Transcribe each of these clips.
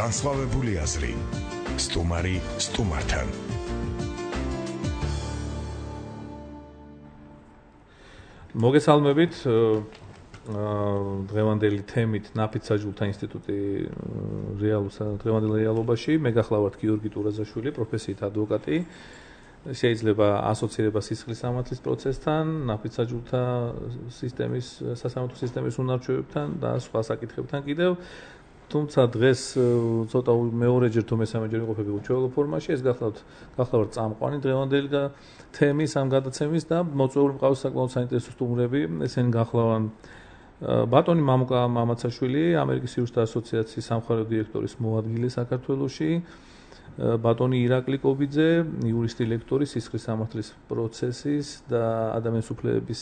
განსხვავებული აზრი. სტუმარი სტუმართან. მოგესალმებით. დღევანდელი თემით ნაფიც საჯულთა ინსტიტუტი დღევანდელ რეალობაში. მე გახლავართ გიორგი ტურაზაშვილი, პროფესიით ადვოკატი. შეიძლება ასოცირება სისხლის სამართლის პროცესთან, ნაფიც საჯულთა სისტემის, სასამართლო სისტემის უნარჩვევებთან და სხვა საკითხებთან კიდევ. თუმცა დღეს ცოტა მეორეჯერ თუ მესამეჯერ ვიყოფები უჩვეულო ფორმაში, ეს გახლავართ წამყვანი დღევანდელი თემის ამ გადაცემის და მოწვეული მყავს საკმაოდ საინტერესო სტუმრები. ესენი გახლავან ბატონი მამუკა მამაცაშვილი, ამერიკის იურისტთა ასოციაციის სამხარეო დირექტორის მოადგილე საქართველოში, ბატონი ირაკლი კობიძე, იურისტი ლექტორი, სისხლის სამართლის პროცესის და ადამიანის უფლებების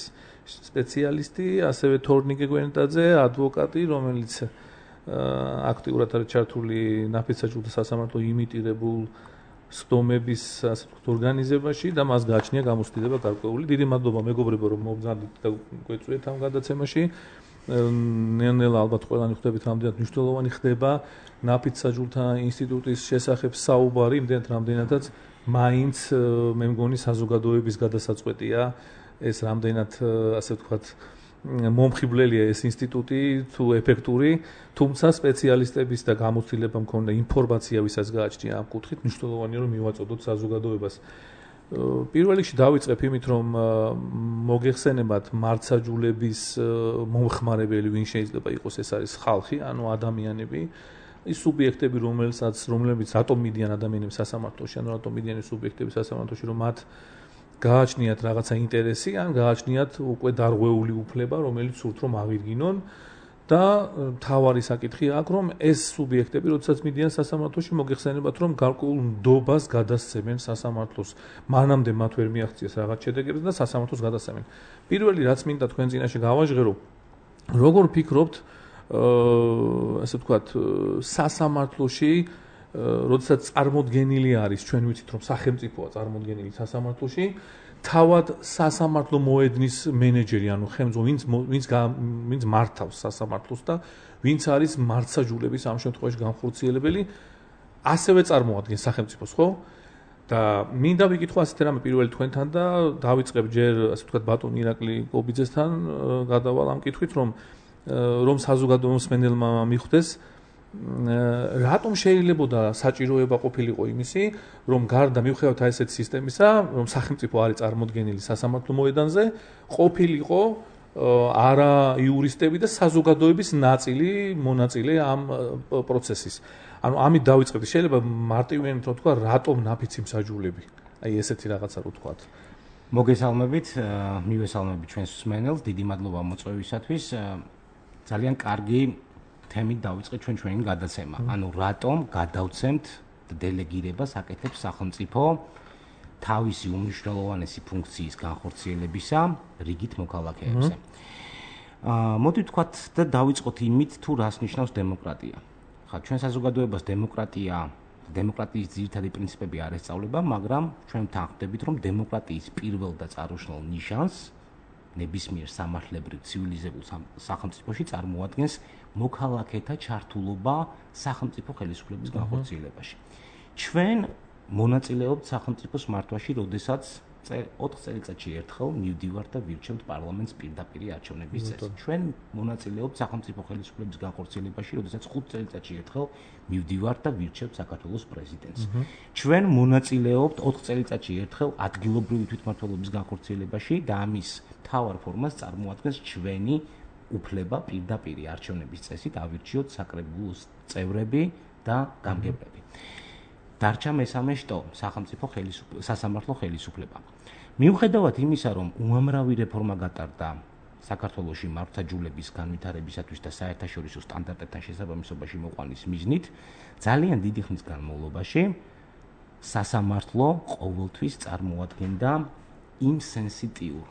სპეციალისტი, ასევე თორნიკე გვენეტაძე, ადვოკატი, რომელიც აქტიურად არის ჩართული ნაფიც საჯულთა სასამართლო იმიტირებულ სხდომების ორგანიზებაში და მას გააჩნია გამოცდილება გარკვეული. დიდი მადლობა მეგობრებო, რომ მოგზავნით და გვეწვიეთ ამ გადაცემაში. ნელ-ნელა ალბათ ყველანი ხვდებით, რამდენად მნიშვნელოვანი ხდება ნაფიც საჯულთა ინსტიტუტის შესახებ საუბარი, რამდენადაც მაინც მე მგონი საზოგადოების გადასაწყვეტია ეს რამდენად ასე ვთქვათ მომხიბვლელია ეს ინსტიტუტი თუ ეფექტური, თუმცა სპეციალისტების და გამოცდილება მქონდა ინფორმაცია, ვისაც გააჩნია ამ კუთხით, მნიშვნელოვანია რომ მივაწოდოთ საზოგადოებას. პირველ რიგში დავიწყებ იმით, რომ მოგეხსენებათ მართსაჯულების მომხმარებელი ვინ შეიძლება იყოს, ეს არის ხალხი, ანუ ადამიანები, ის სუბიექტები, რომლებიც რატომ მიდიან ადამიანები სასამართლოში, ანუ რატომ მიდიან სუბიექტები სასამართლოში, რომ მათ გააჩნიათ რაღაცა ინტერესი, ან გააჩნიათ უკვე დარღვეული უფლება, რომელიც სურთ რომ ავირგინონ და მთავარი საკითხი აქვს, რომ ეს სუბიექტები, როდესაც მიდიან სასამართლოში, მოგეხსენებათ, რომ გარკვეულ ნდობას გადასცემენ სასამართლოს. მანამდე მათ ვერ მიაღწიეს რაღაც შედეგები და სასამართლოს გადასცემენ. პირველი რაც მინდა თქვენ წინაშე გავაჟღერო, როგორ ფიქრობთ, ასე ვთქვათ, სასამართლოში როდესაც წარმოდგენილი არის, ჩვენ ვიცით რომ სახელმწიფოა წარმოდგენილი სასამართლოში, თავად სასამართლო მოედნის მენეჯერი, ანუ ხელმძღვანელი, ვინც მართავს სასამართლოს და ვინც არის მართსაჯულების ამ შემთხვევაში განხორციელებელი, ასევე წარმოადგენს სახელმწიფოს, ხო? და მინდა ვიკითხო ასეთ რამე პირველი თქვენთან და დავიწყებ ჯერ, ასე ვთქვათ, ბატონ ირაკლი კობიძესთან გადავალ ამ კითხვით, რომ საზოგადო მსმენელმა მიხვდეს რატომ შეიძლებოდა საჭიროება ყოფილიყო იმისი, რომ გარდა მივხვდეთ ესეთ სისტემისა, რომ სახელმწიფო არის წარმოდგენილი სასამართლო მოედანზე, ყოფილიყო არა იურისტები და საზოგადოების მონაწილე ამ პროცესის. ანუ ამით დავიწყებთ, შეიძლება მარტივიანად რომ თქვა, რატომ ნაფიცი მსაჯულები? აი ესეთი რაღაცა რო თქვათ. მოგესალმებით, მივესალმებით ჩვენს მსმენელს, დიდი მადლობა მოწვევისათვის. ძალიან კარგი თემით დავიწყეთ ჩვენი გადაცემა. ანუ რატომ გადავცემთ დელეგირებას აკეთებს სახელმწიფო თავისი უმნიშვნელოვანესი ფუნქციის განხორციელებისა რიგით მოქალაქეებზე. მოდით ვთქვათ და დავიწყოთ იმით, თუ რას ნიშნავს დემოკრატია. ხა ჩვენ საზოგადოებას დემოკრატიის ძირითადი პრინციპები არ ესწავლება, მაგრამ ჩვენ ვთანხმდებით, რომ დემოკრატიის პირველ და წარუშნელ ნიშანს ნებისმიერ სამართლებრივ ცივილიზებულ სახელმწიფოში წარმოადგენს მოქალაქეთა ჩართულობა სახელმწიფო ხელისუფლების განხორციელებაში. ჩვენ მონაწილეობთ სახელმწიფოს მართვაში, როდესაც 4 წელიწადში ერთხელ მივდივართ და ვირჩევთ პარლამენტს პირდაპირ არჩევნების წესით. ჩვენ მონაწილეობთ სახელმწიფო ხელისუფლების განხორციელებაში, როდესაც 5 წელიწადში ერთხელ მივდივართ და ვირჩევთ საქართველოს პრეზიდენტს. ჩვენ მონაწილეობთ 4 წელიწადში ერთხელ ადგილობრივი თვითმმართველობის განხორციელებაში და ამის მთავარ ფორმას წარმოადგენს ჩვენი უფლება პირდაპირ არჩევნების წესით ავირჩიოთ საკრებულოს წევრები და გამგებლები. დარჩა მესამე შტო, სასამართლო ხელისუფლება. მიუხედავად იმისა, რომ უამრავი რეფორმა გატარდა საქართველოში მართსაჯულების განვითარებისათვის და საერთაშორისო სტანდარტებთან შესაბამისობაში მოყვანის მიზნით, ძალიან დიდი ხნის განმავლობაში სასამართლო ყოველთვის წარმოადგენდა იმ სენსიტიურ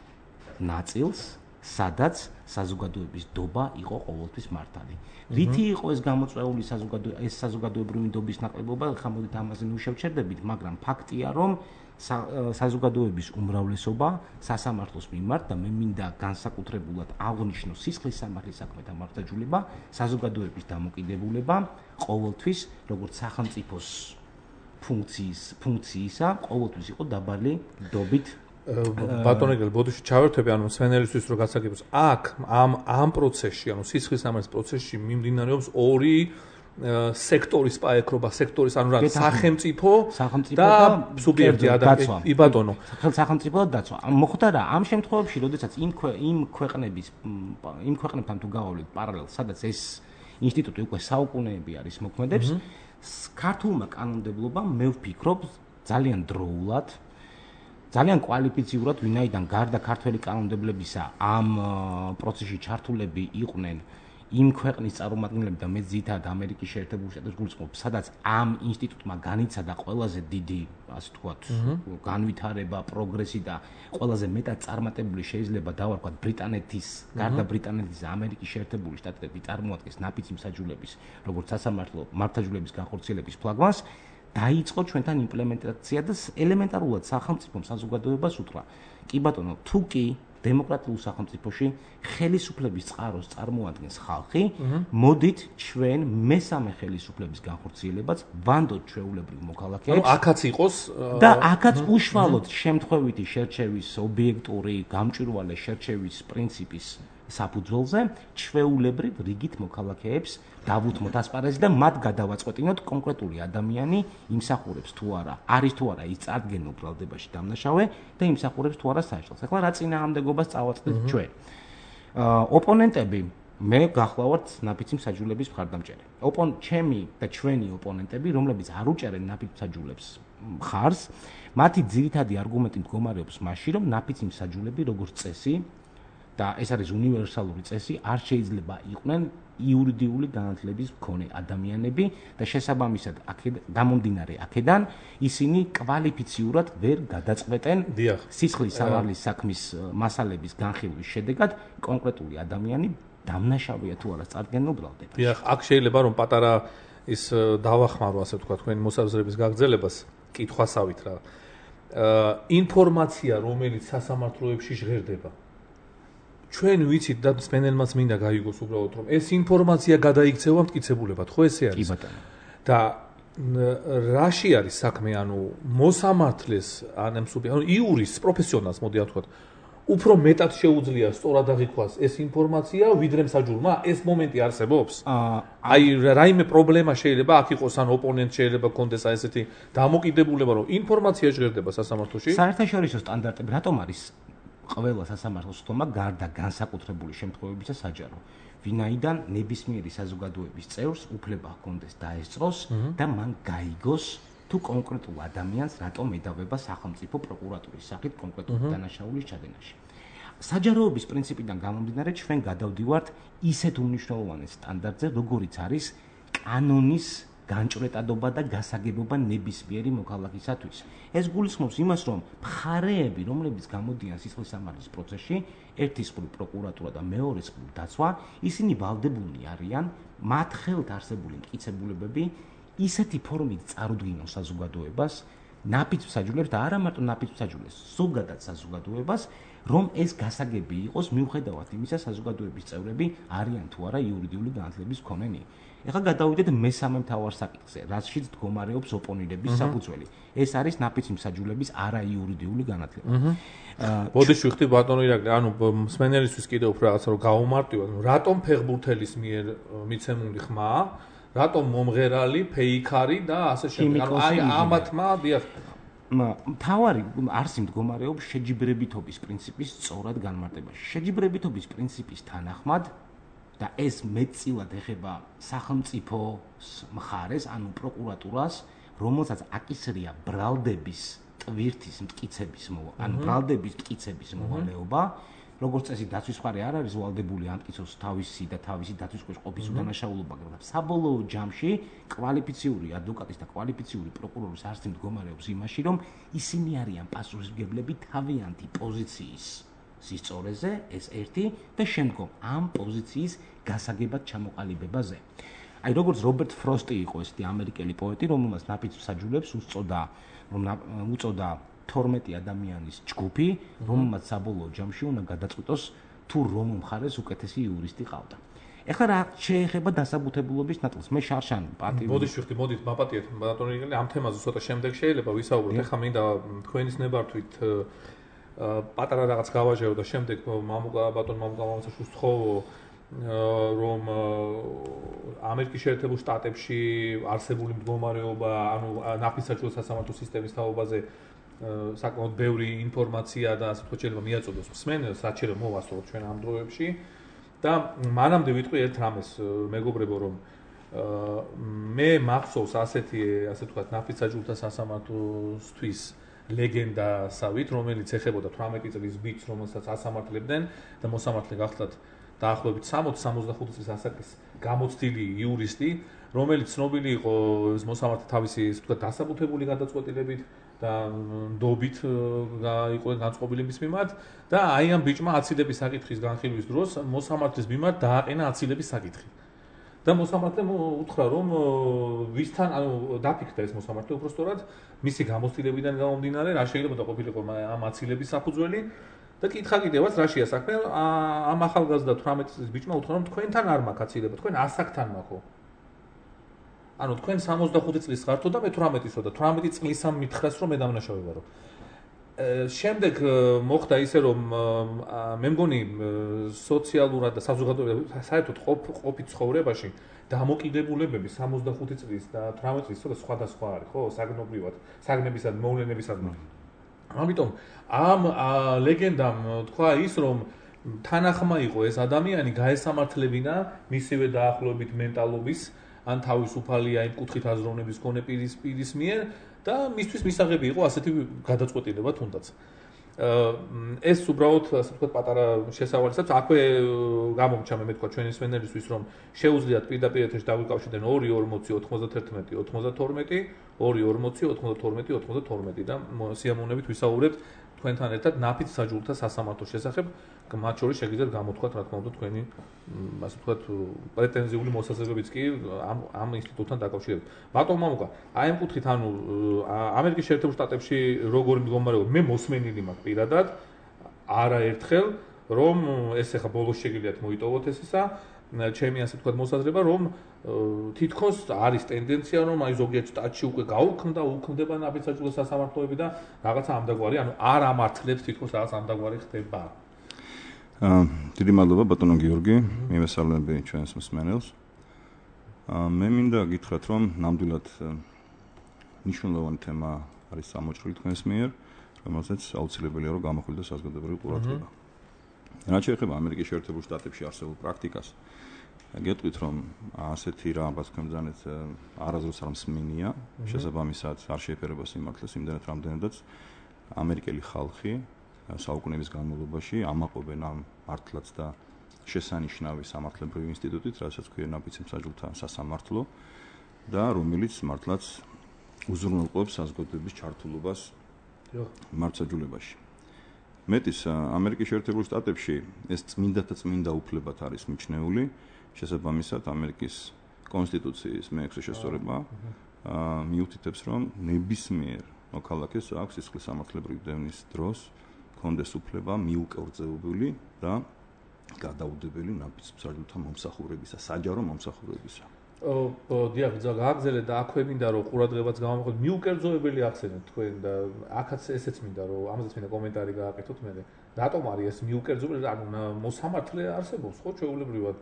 ნაწილს სადაც საზოგადოების დობა იყო ყოველთვის მართალი. რითი იყო ეს გამოწვეული საზოგადოებრივი დობის ნაკლებობა, ხა მოდით ამაზე ნუ შევჩერდებით, მაგრამ ფაქტია, რომ საზოგადოების უმრავლესობა სასამართლოს მიმართ და მე მინდა განსაკუთრებულად აღვნიშნო სისხლის სამართლის საქმეთა მართლმსაჯულება, საზოგადოების დამოკიდებულება ყოველთვის როგორც სახელმწიფოს ფუნქციისა ყოველთვის იყო დაბალი დობით. ბატონო ეგრე ბოდიში ჩავერთვები, ანუ სვენელისთვის რო გასაგებოს, აქ ამ პროცესში, ანუ სისხლის სამართლის პროცესში მიმდინარეობს ორი სექტორის პაექრობა, სექტორის, ანუ რა, სახელმწიფო და სუბიექტი ადამიანი, ბატონო. სახელმწიფო და დაცვა. მოხდა რა, ამ შემთხვევებში, როდესაც იმ ქვეყნებთან თუ გავავლით პარალელს, სადაც ეს ინსტიტუტი უკვე საუკუნეები არის მოქმედებს, ქართულმა კანონმდებლობამ მე ვფიქრობ ძალიან დროულად, ძალიან კვალიფიციურად, ვინაიდან გარდა ქართველი კანონმდებლებისა ამ პროცესში ჩართულები იყვნენ იმ ქვეყნის წარმომადგენლები და მე ძირითადად ამერიკის შეერთებული შტატების გულისხმობ, სადაც ამ ინსტიტუტმა განიცადა ყველაზე დიდი, ასე ვთქვათ, განვითარება, პროგრესი და ყველაზე მეტად წარმატებული შეიძლება დავარქვათ ბრიტანეთის, გარდა ბრიტანეთის და ამერიკის შეერთებული შტატები წარმოადგენს ნაფიცი მსაჯულების, როგორც სასამართლო მართლმსაჯულების განხორციელების ფლაგმანს, დაიწყო ჩვენთან იმპლემენტაცია და ელემენტარულად სახელმწიფომ საზოგადოებას უთხრა. კი ბატონო, თუ კი დემოკრატიულ სახელმწიფოში ხელისუფლების წყაროს წარმოადგენს ხალხი, მოდით ჩვენ მესამე ხელისუფლების განხორციელებაც ვანდოთ ჩვეულებრივ მოქალაქეებს. ანუ აქაც იყოს და აქაც უშუალოდ შემთხვევითი შერჩევის ობიექტური გამჭვირვალე შერჩევის პრინციპის საფუძველზე ჩვეულებრივ რიგით მოქალაქეებს დავუთმოთ ასპარეზი და მათ გადავაწყვეტინოთ კონკრეტული ადამიანი იმსახურებს თუ არა, არის თუ არა ის წარდგენილ ბრალდებაში დამნაშავე და იმსახურებს თუ არა საერთოდ. ახლა რა წინააღმდეგობას წავაწყდით ჩვენ? ოპონენტები მე გახლავართ ნაფიცი მსაჯულების მხარდამჭერი. ჩემი და ჩვენი ოპონენტები, რომლებიც არ უჭერენ ნაფიც მსაჯულებს მხარს, მათი ძირითადი არგუმენტი მდგომარეობს მასში, რომ ნაფიცი მსაჯულები როგორც წესი და ეს არის უნივერსალური წესი, არ შეიძლება იყვნენ იურიდიული განათლების მქონე ადამიანები და შესაბამისად გამომდინარე აქედან ისინი კვალიფიციურად ვერ გადაწყვეტენ სისხლის სამართლის საქმის მასალების განხილვის შედეგად კონკრეტული ადამიანი დამნაშავეა თუ არა წარდგენილ ბრალდებაში. დიახ, აქ შეიძლება რომ პატარა ის დავახმარო, ასე ვთქვათ, თქვენი მოსაზრების გაგრძელებას კითხვასავით რა. ინფორმაცია, რომელიც სასამართლოებში ჟღერდება ჩვენ ვიცით და სპენელმაც მინდა გაიგოს უბრალოდ რომ ეს ინფორმაცია გადაიქცევა მტკიცებულებად, ხო ესე არის? კი ბატონო. და რაში არის საქმე, ანუ მოსამართლეს ან იურის პროფესიონალს მოდი ვთქვათ, უფრო მეტად შეუძლია სწორად აღიქვას ეს ინფორმაცია ვიდრე მსაჯულმა, ეს მომენტი არსებობს? აი რაიმე პრობლემა შეიძლება აქ იყოს, ან ოპონენტ შეიძლება კონდეს აი ესეთი დამოკიდებულება, რომ ინფორმაცია ჟღერდება სასამართლოში? საერთაშორისო სტანდარტები რატომ არის ყველა სასამართლოს თომა გარდა განსაკუთრებული შემთხვევებისა საჯარო, ვინაიდან ნებისმიერი საზოგადოების წევრს უფლება ჰქონდეს დაესწროს და მან გაიგოს თუ კონკრეტულ ადამიანს რატომ ედავება სახელმწიფო პროკურატურის სახით კონკრეტული დანაშაულის ჩადენაში. საჯაროების პრინციპიდან გამომდინარე, ჩვენ გადავდივართ ისეთ უმნიშვნელოვანეს სტანდარტზე, როგორიც არის კანონის განჭვრეტადობა და გასაგებობა ნებისმიერი მოქალაქისათვის. ეს გულისხმობს იმას, რომ მხარეები, რომლებიც გამოდიან სისხლის სამართლის პროცესში, ერთის მხრივ პროკურატურა და მეორეს მხრივ დაცვა, ისინი ვალდებულნი არიან მათ ხელთ არსებული მტკიცებულებები ისეთი ფორმით წარუდგინონ საზოგადოებას, ნაფიც მსაჯულებს და არა მარტო ნაფიც მსაჯულებს, ზოგადად საზოგადოებას, რომ ეს გასაგები იყოს მიუხედავად იმისა, საზოგადოების წევრები არიან თუ არა იურიდიული განათლების მქონენი. ეხლა გადავიდეთ მესამე მთავარ საკითხზე, რაშიც მდგომარეობს ოპონირების საფუძველი. ეს არის ნაფიცი მსაჯულების არაიურიდიული განათლება. ბოდიში ვიხდი ბატონო ირაკლი, ანუ მსმენელისთვის კიდევ უფრო რაღაცა რომ გაუმარტივოთ, რატომ ფეხბურთელის მიერ მიცემული ხმა, რატომ მომღერალი, ფეიქარი და ასე შემდეგ. ანუ ამათმა დიახ მთავარი არსი მდგომარეობს შეჯიბრებითობის პრინციპის სწორად განმარტებაში. შეჯიბრებითობის პრინციპის თანახმად და ეს მეტწილად ეხება სახელმწიფოს მხარეს, ანუ პროკურატურას, რომელსაც აკისრია ბრალდების ტვირთის მტკიცების ანუ ბრალდების მტკიცების მოვალეობა, როგორც წესი დაცვის მხარე არ არის ვალდებული ამტკიცოს თავისი და თავისი დაცვის ყოფის უდანაშაულობა, მაგრამ საბოლოო ჯამში კვალიფიციური ადვოკატის და კვალიფიციური პროკურორის არსი მდგომარეობს იმაში, რომ ისინი არიან პასუხისმგებლები თავიანთი პოზიციის სისწორეზე, ეს ერთი და შემდგომ ამ პოზიციის გასაგებად ჩამოყალიბებაზე. აი როგორც რობერტ ფროსტი იყო ესეთი ამერიკელი პოეტი, რომელმაც ნაფიც მსაჯულებს უწოდა 12 ადამიანის ჯგუფი, რომელმაც საბოლოო ჯამში უნდა გადაწყვიტოს თუ რომ მხარეს უკეთესი იურისტი ყავდა. ეხლა რა შეეხება დასაბუთებულობის ნაწილს? მე შარშან პატივი. მოდით მაპატიეთ ბატონო იგელი ამ თემაზე ცოტა შემდეგ შეიძლება ვისაუბროთ. ეხლა მინდა თქვენის ნებართვით პატარა რაღაც გავაჟერო და შემდეგ ბატონ მამუკა მამაცაშვილს ვთხოვო რომ ამერიკის შეერთებულ შტატებში არსებული მდგომარეობა, ანუ ნაფისსაჯულო სასამართლო სისტემის თაობაზე საკმაოდ ბევრი ინფორმაცია და ასე ვთქვათ შეიძლება მიაწოდოს მსმენელს, რაც შეიძლება მოვასწროთ ჩვენ ამ დროებში და მანამდე ვიტყვი ერთ რამეს მეგობრებო რომ მე მახსოვს ასეთი ასე ვთქვათ ნაფისსაჯულთა სასამართლოსთვის ლეგენდასავით, რომელიც ეხებოდა 18 წლის ბიჭს, რომელსაც ასამართლებდნენ და მოსამართლე გახლდათ დაახლოებით 60-65 წლის ასაკის გამოცდილი იურისტი, რომელიც ცნობილი იყო მოსამართლე თავისი ასე ვთქვათ დასაბუთებული გადაწყვეტილებით და ნდობით იყო განწყობილი მის მიმართ და აი ამ ბიჭმა აცილების საკითხის განხილვის დროს მოსამართლის მიმართ დააყენა აცილების საკითხი. და მოსამართლემ უთხრა რომ ვისთან ანუ დაფიქრდა ეს მოსამართლე უბრალოდ მისი გამოცდილებიდან გამომდინარე რა შეიძლება და ყოფილიყო ამ აცილების საფუძველი და კითხა კიდევაც რაშია საქმე ამ ახალგაზრდა 18 წლის ბიჭმა უთხრა რომ თქვენთან არ მაქვს აცილება, თქვენ ასაკთან მაქვს. ანუ თქვენ 65 წლის ხართო და მე 18-ისო და 18 წლისამ მითხრას რომ მე დამნაშავე ვარო. შემდეგ მოხდა ისე რომ მე მგონი სოციალურად და საზოგადოებრივ საერთოდ ყოფი ცხოვრებაში დამოკიდებულებები 65 წლის და 18 წლის სხვადასხვა არის, ხო, საგნობრივად, საგნებისადმი, მოვლენებისადმი. ამიტომ ამ ლეგენდამ თქვა ის რომ თანახმა იყო ეს ადამიანი გაესამართლებინა მისივე დაახლოებით მენტალობის ან თავისუფალია იმ კუთხით აზროვნების მქონე პირის მიერ და მისთვის მისაღები იყო ასეთი გადაწყვეტილება თუნდაც. ეს უბრალოდ ასე ვთქვათ პატარა შესავალისაც აქვე გამომჩა მე თქვა ჩვენი სვენელისთვის რომ შეუძლიათ პირდაპირ ეთერში დავიკავშირდნენ 2-40-91-92 2-40-92 და სიამოვნებით ვისაუბრებთ თქვენთან ერთად ნაფისსაჯულთა სასამართლოს შესახებ, მათ შორის შეგიძლიათ გამოთქვათ რა თქმა უნდა თქვენი ასე ვთქვათ პრეტენზიული მოსაზრებებიც კი ამ ინსტიტუტთან დაკავშირებით. ბატონ მამუკა, აი ამ კუთხით ანუ ამერიკის შეერთებულ შტატებში როგორი მდგომარეობა მე მოსმენილი მაქვს პირადად არაერთხელ რომ ეს ახლა ბოლოს შეგიძლიათ მოიტოვოთ ეს ისა ჩემი ასე ვთქვათ მოსაზრება რომ თითქოს არის ტენდენცია რომ აი ზოგიერთ შტატში უკვე უქმდება ნაფისსაჯულო სასამართლოები და რაღაცა ამდაგვარი ანუ არ ამართლებს თითქოს რაღაც ამდაგვარი ხდება. დიდი მადლობა ბატონო გიორგი, მივესალმები ჩვენს მსმენელს. მე მინდა გითხრათ რომ ნამდვილად მნიშვნელოვანი თემა არის წამოჭრილი თქვენს მიერ, რომელზეც აუცილებელია რომ გამოხვილდეს საზოგადოებრივი ყურადღება. რაც შეეხება ამერიკის შეერთებულ შტატებში არსებულ პრაქტიკას, გეტყვით რომ ასეთი რაღაც თქვენ ბრძანეთ არასდროს არ მსმენია, შესაბამისად არ შეეფერება სიმართლეს იმდენად რამდენადაც ამერიკელი ხალხი საუკუნეების განმავლობაში ამაყობენ ამ მართლაც და შესანიშნავი სამართლებრივი ინსტიტუტით, რასაც ქვია ნაფიც მსაჯულთა სასამართლო და რომელიც მართლაც უზრუნველყოფს საზოგადოების ჩართულობას მართლმსაჯულებაში. მეტის ამერიკის შეერთებულ შტატებში ეს წმინდათა წმინდა უფლებად არის მიჩნეული, შესაბამისად ამერიკის კონსტიტუციის მე-6 შესწორება მიუთითებს რომ ნებისმიერ მოქალაქეს აქვს სისხლის სამართლებრივი დევნის დროს კონდეს უფლება მიუკერძოებული და გადაუდებელი ნაფიც მსაჯულთა მომსახურებისა, საჯარო მომსახურებისა. დიახ, გააგზავნეთ და აქვე მინდა რომ ყურადღებაც გამომხოთ მიუკერძოებელი ახსენეთ თქვენ და აქაც ესეც მინდა რომ ამაზეც მინდა კომენტარი გააკეთოთ მე. რატომ არის ეს მიუკერძოებელი? ანუ მოსამართლე არსებობს ხო ჩვეულებრივად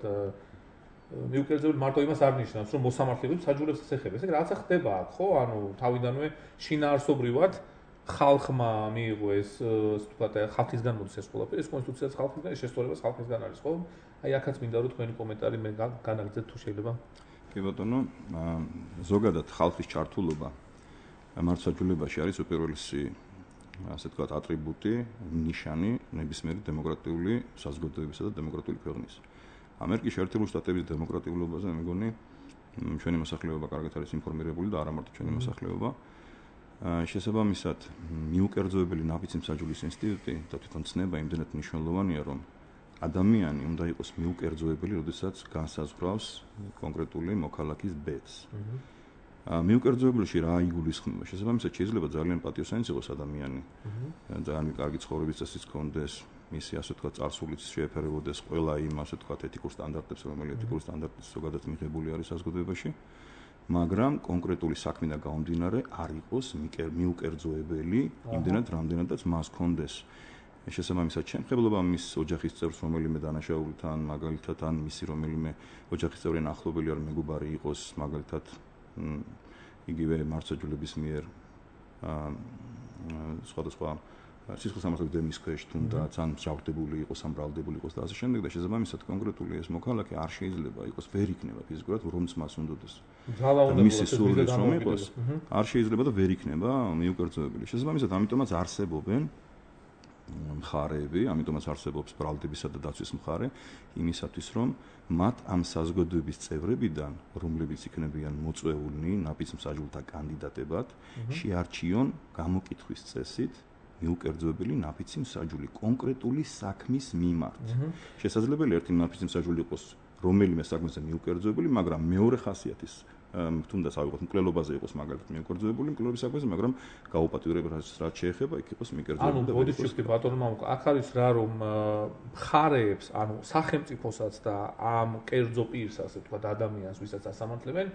მიუკერძოებელი მარტო იმას არ ნიშნავს რომ მოსამართლეები საჯულებს ეხება. ესე რაღაცა ხდება აქ ხო? ანუ თავიდანვე შინაარსობრივად ხალხმა მიიღო ეს ვთქვათ ხალხისგან მოდის ეს ყველაფერი, ეს კონსტიტუციაც ხალხისგან, ეს შესწორებას ხალხისგან არის ხო? აი აქაც მინდა რომ თქვენი კომენტარი მე განაგრძეთ თუ შეიძლება. კი ბატონო, ზოგადად ხალხის ჩართულობა მართლმსაჯულებაში არის უპირველესი ასე ვთქვათ ატრიბუტი, ნიშანი ნებისმიერი დემოკრატიული საზოგადოებისა და დემოკრატიული ქვეყნის. ამერიკის შეერთებულ შტატების დემოკრატიულობაზე მე მგონი ჩვენი მოსახლეობა კარგად არის ინფორმირებული და არა მარტო ჩვენი მოსახლეობა. შესაბამისად, მიუკერძოებელი ნაფიცი მსაჯულის ინსტიტუტი და თვითონ ცნება იმდენად მნიშვნელოვანია, რომ ადამიანი უნდა იყოს მიუკერძოებელი, როდესაც განსაზღვრავს კონკრეტული მოქალაქის ბედს. მიუკერძოებელში რა იგულისხმება? შესაბამისად, შეიძლება ძალიან პატიოსანი იყოს ადამიანი. ძალიან კარგი ცხოვრების წესიც ჰქონდეს, მისი ასე ვთქვათ, წარსულიც შეეფერებოდეს ყველა იმ ასე ვთქვათ ეთიკურ სტანდარტებს, რომელიც ეთიკურ სტანდარტებს ზოგადად მიღებული არის საზოგადოებაში. მაგრამ კონკრეტული საქმიდან გამომდინარე არ იყოს მიუკერძოებელი იმდენად რამდენადაც მას ჰქონდეს შესაბამისად შემხებლობა მის ოჯახის წევრს რომელიმე დანაშაულითან მაგალითად ან მისი რომელიმე ოჯახის წევრი ახლობელი არ მეგობარი იყოს მაგალითად იგივე მართლმსაჯულების მიერ სხვადასხვა სისხლისამართლების დემის ქვეშ თუნდაც ან მსჯავრდებული იყოს ან ბრალდებული იყოს და ასე შემდეგ და შესაბამისად კონკრეტული ეს მოქალაქე არ შეიძლება იყოს ვერ იქნება ფიზიკურად რომც მას უნდადეს მისი სურვილიც რომ იყოს არ შეიძლება და ვერ იქნება მიუკერძოებელი შესაბამისად ამიტომაც არსებობენ მხარეები ამიტომაც არსებობს ბრალდებისა და დაცვის მხარე იმისათვის რომ მათ ამ საზოგადოების წევრებიდან რომლებიც იქნებიან მოწვეულნი ნაფიც მსაჯულთა კანდიდატებად შეარჩიონ გამოკითხვის წესით მიუკერძოებელი ნაფიცი მსაჯული კონკრეტული საქმის მიმართ. შესაძლებელია ერთი ნაფიცი მსაჯული იყოს რომელიმე საქმეზე მიუკერძოებელი, მაგრამ მეორე ხასიათის თუნდაც ავიღოთ მკვლელობაზე იყოს მაგალითად მიუკერძოებული მკვლელობის საქმეზე, მაგრამ გაუპატიურებელს რაც შეეხება, იქ იყოს მიუკერძოებული. ანუ ბოდიჩიფტი ბატონო მამუკა, აქ არის რა რომ მხარეებს, ანუ სახელმწიფოსაც და ამ კერძო პირს, ასე ვთქვათ, ადამიანს, ვისაც ასამართლებენ,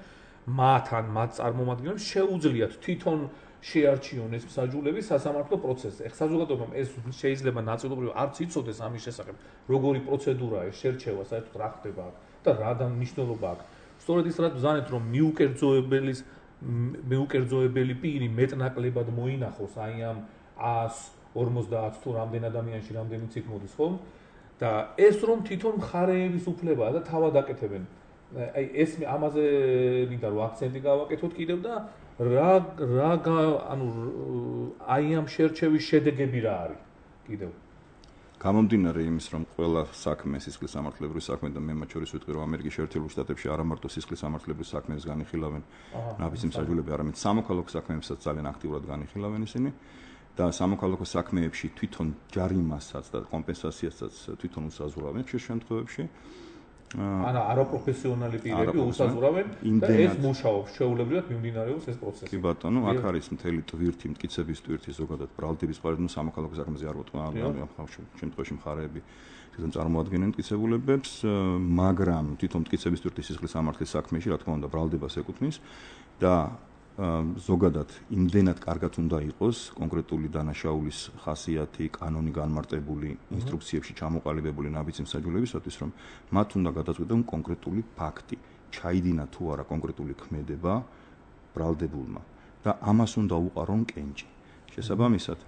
მათთან მათ წარმომადგენლებს შეუძლიათ თვითონ შეარჩიონ ეს მსაჯულები სასამართლო პროცესზე. ეხლა საზოგადოებამ ეს შეიძლება ნაწილობრივ არც იცოდეს ამის შესახებ, როგორი პროცედურაა ეს შერჩევა, საერთოდ რა ხდება და რა მნიშვნელობა აქვს. სწორედ ის რაც ბრძანეთ, რომ მიუკერძოებელი პირი მეტნაკლებად მოინახოს აი ამ 150 თუ რამდენ ადამიანში რამდენი ციხ მოდის, ხო? და ეს რომ თვითონ მხარეების უფლებაა და თავად აკეთებენ. აი ეს ამაზე მინდა რომ აქცენტი გავაკეთოთ კიდევ და ანუ აი ამ შერჩევის შედეგები რა არის კიდევ გამომდინარე იმის რომ ყველა საქმე სისხლის სამართლებრივი საქმე და მე მათ შორის ვიტყვი რომ ამერიკის შეერთებულ შტატებში არა მარტო სისხლის სამართლებრივი საქმეებს განიხილავენ ნაფიცი მსაჯულები არამედ სამოქალაქო საქმეებსაც ძალიან აქტიურად განიხილავენ ისინი და სამოქალაქო საქმეებში თვითონ ჯარიმასაც და კომპენსაციასაც თვითონ უსაზღვრავენ ხშირ შემთხვევებში ანა არაპროფესიონალი პირები უსაზღვრავენ და ეს მუშაობს შეუულებრივად მიმდინარეობს ეს პროცესი. კი ბატონო, აქ არის მთელი ტვირთი, მტკიცების ტვირთი ზოგადად ბრალდების მხარეს, სამოქალაქო საქმეზე არ ვთქვა, ამ შემთხვევაში მხარეები თვითონ წარმოადგენენ მტკიცებულებებს, მაგრამ თვითონ მტკიცების ტვირთის სისხლის სამართლის საქმეში, რა თქმა უნდა, ბრალდებას ეკუთვნის და ზოგადად იმდენად კარგად უნდა იყოს კონკრეტული დანაშაულის ხასიათი, კანონი განმარტებული, ინსტრუქციებში ჩამოყალიბებული ნაბიჯი მსაჯულებისათვის, რომ მათ უნდა გადაწყვეტონ კონკრეტული ფაქტი, ჩაიდინა თუ არა კონკრეტული ქმედება ბრალდებულმა და ამას უნდა უყარონ კენჭი. შესაბამისად,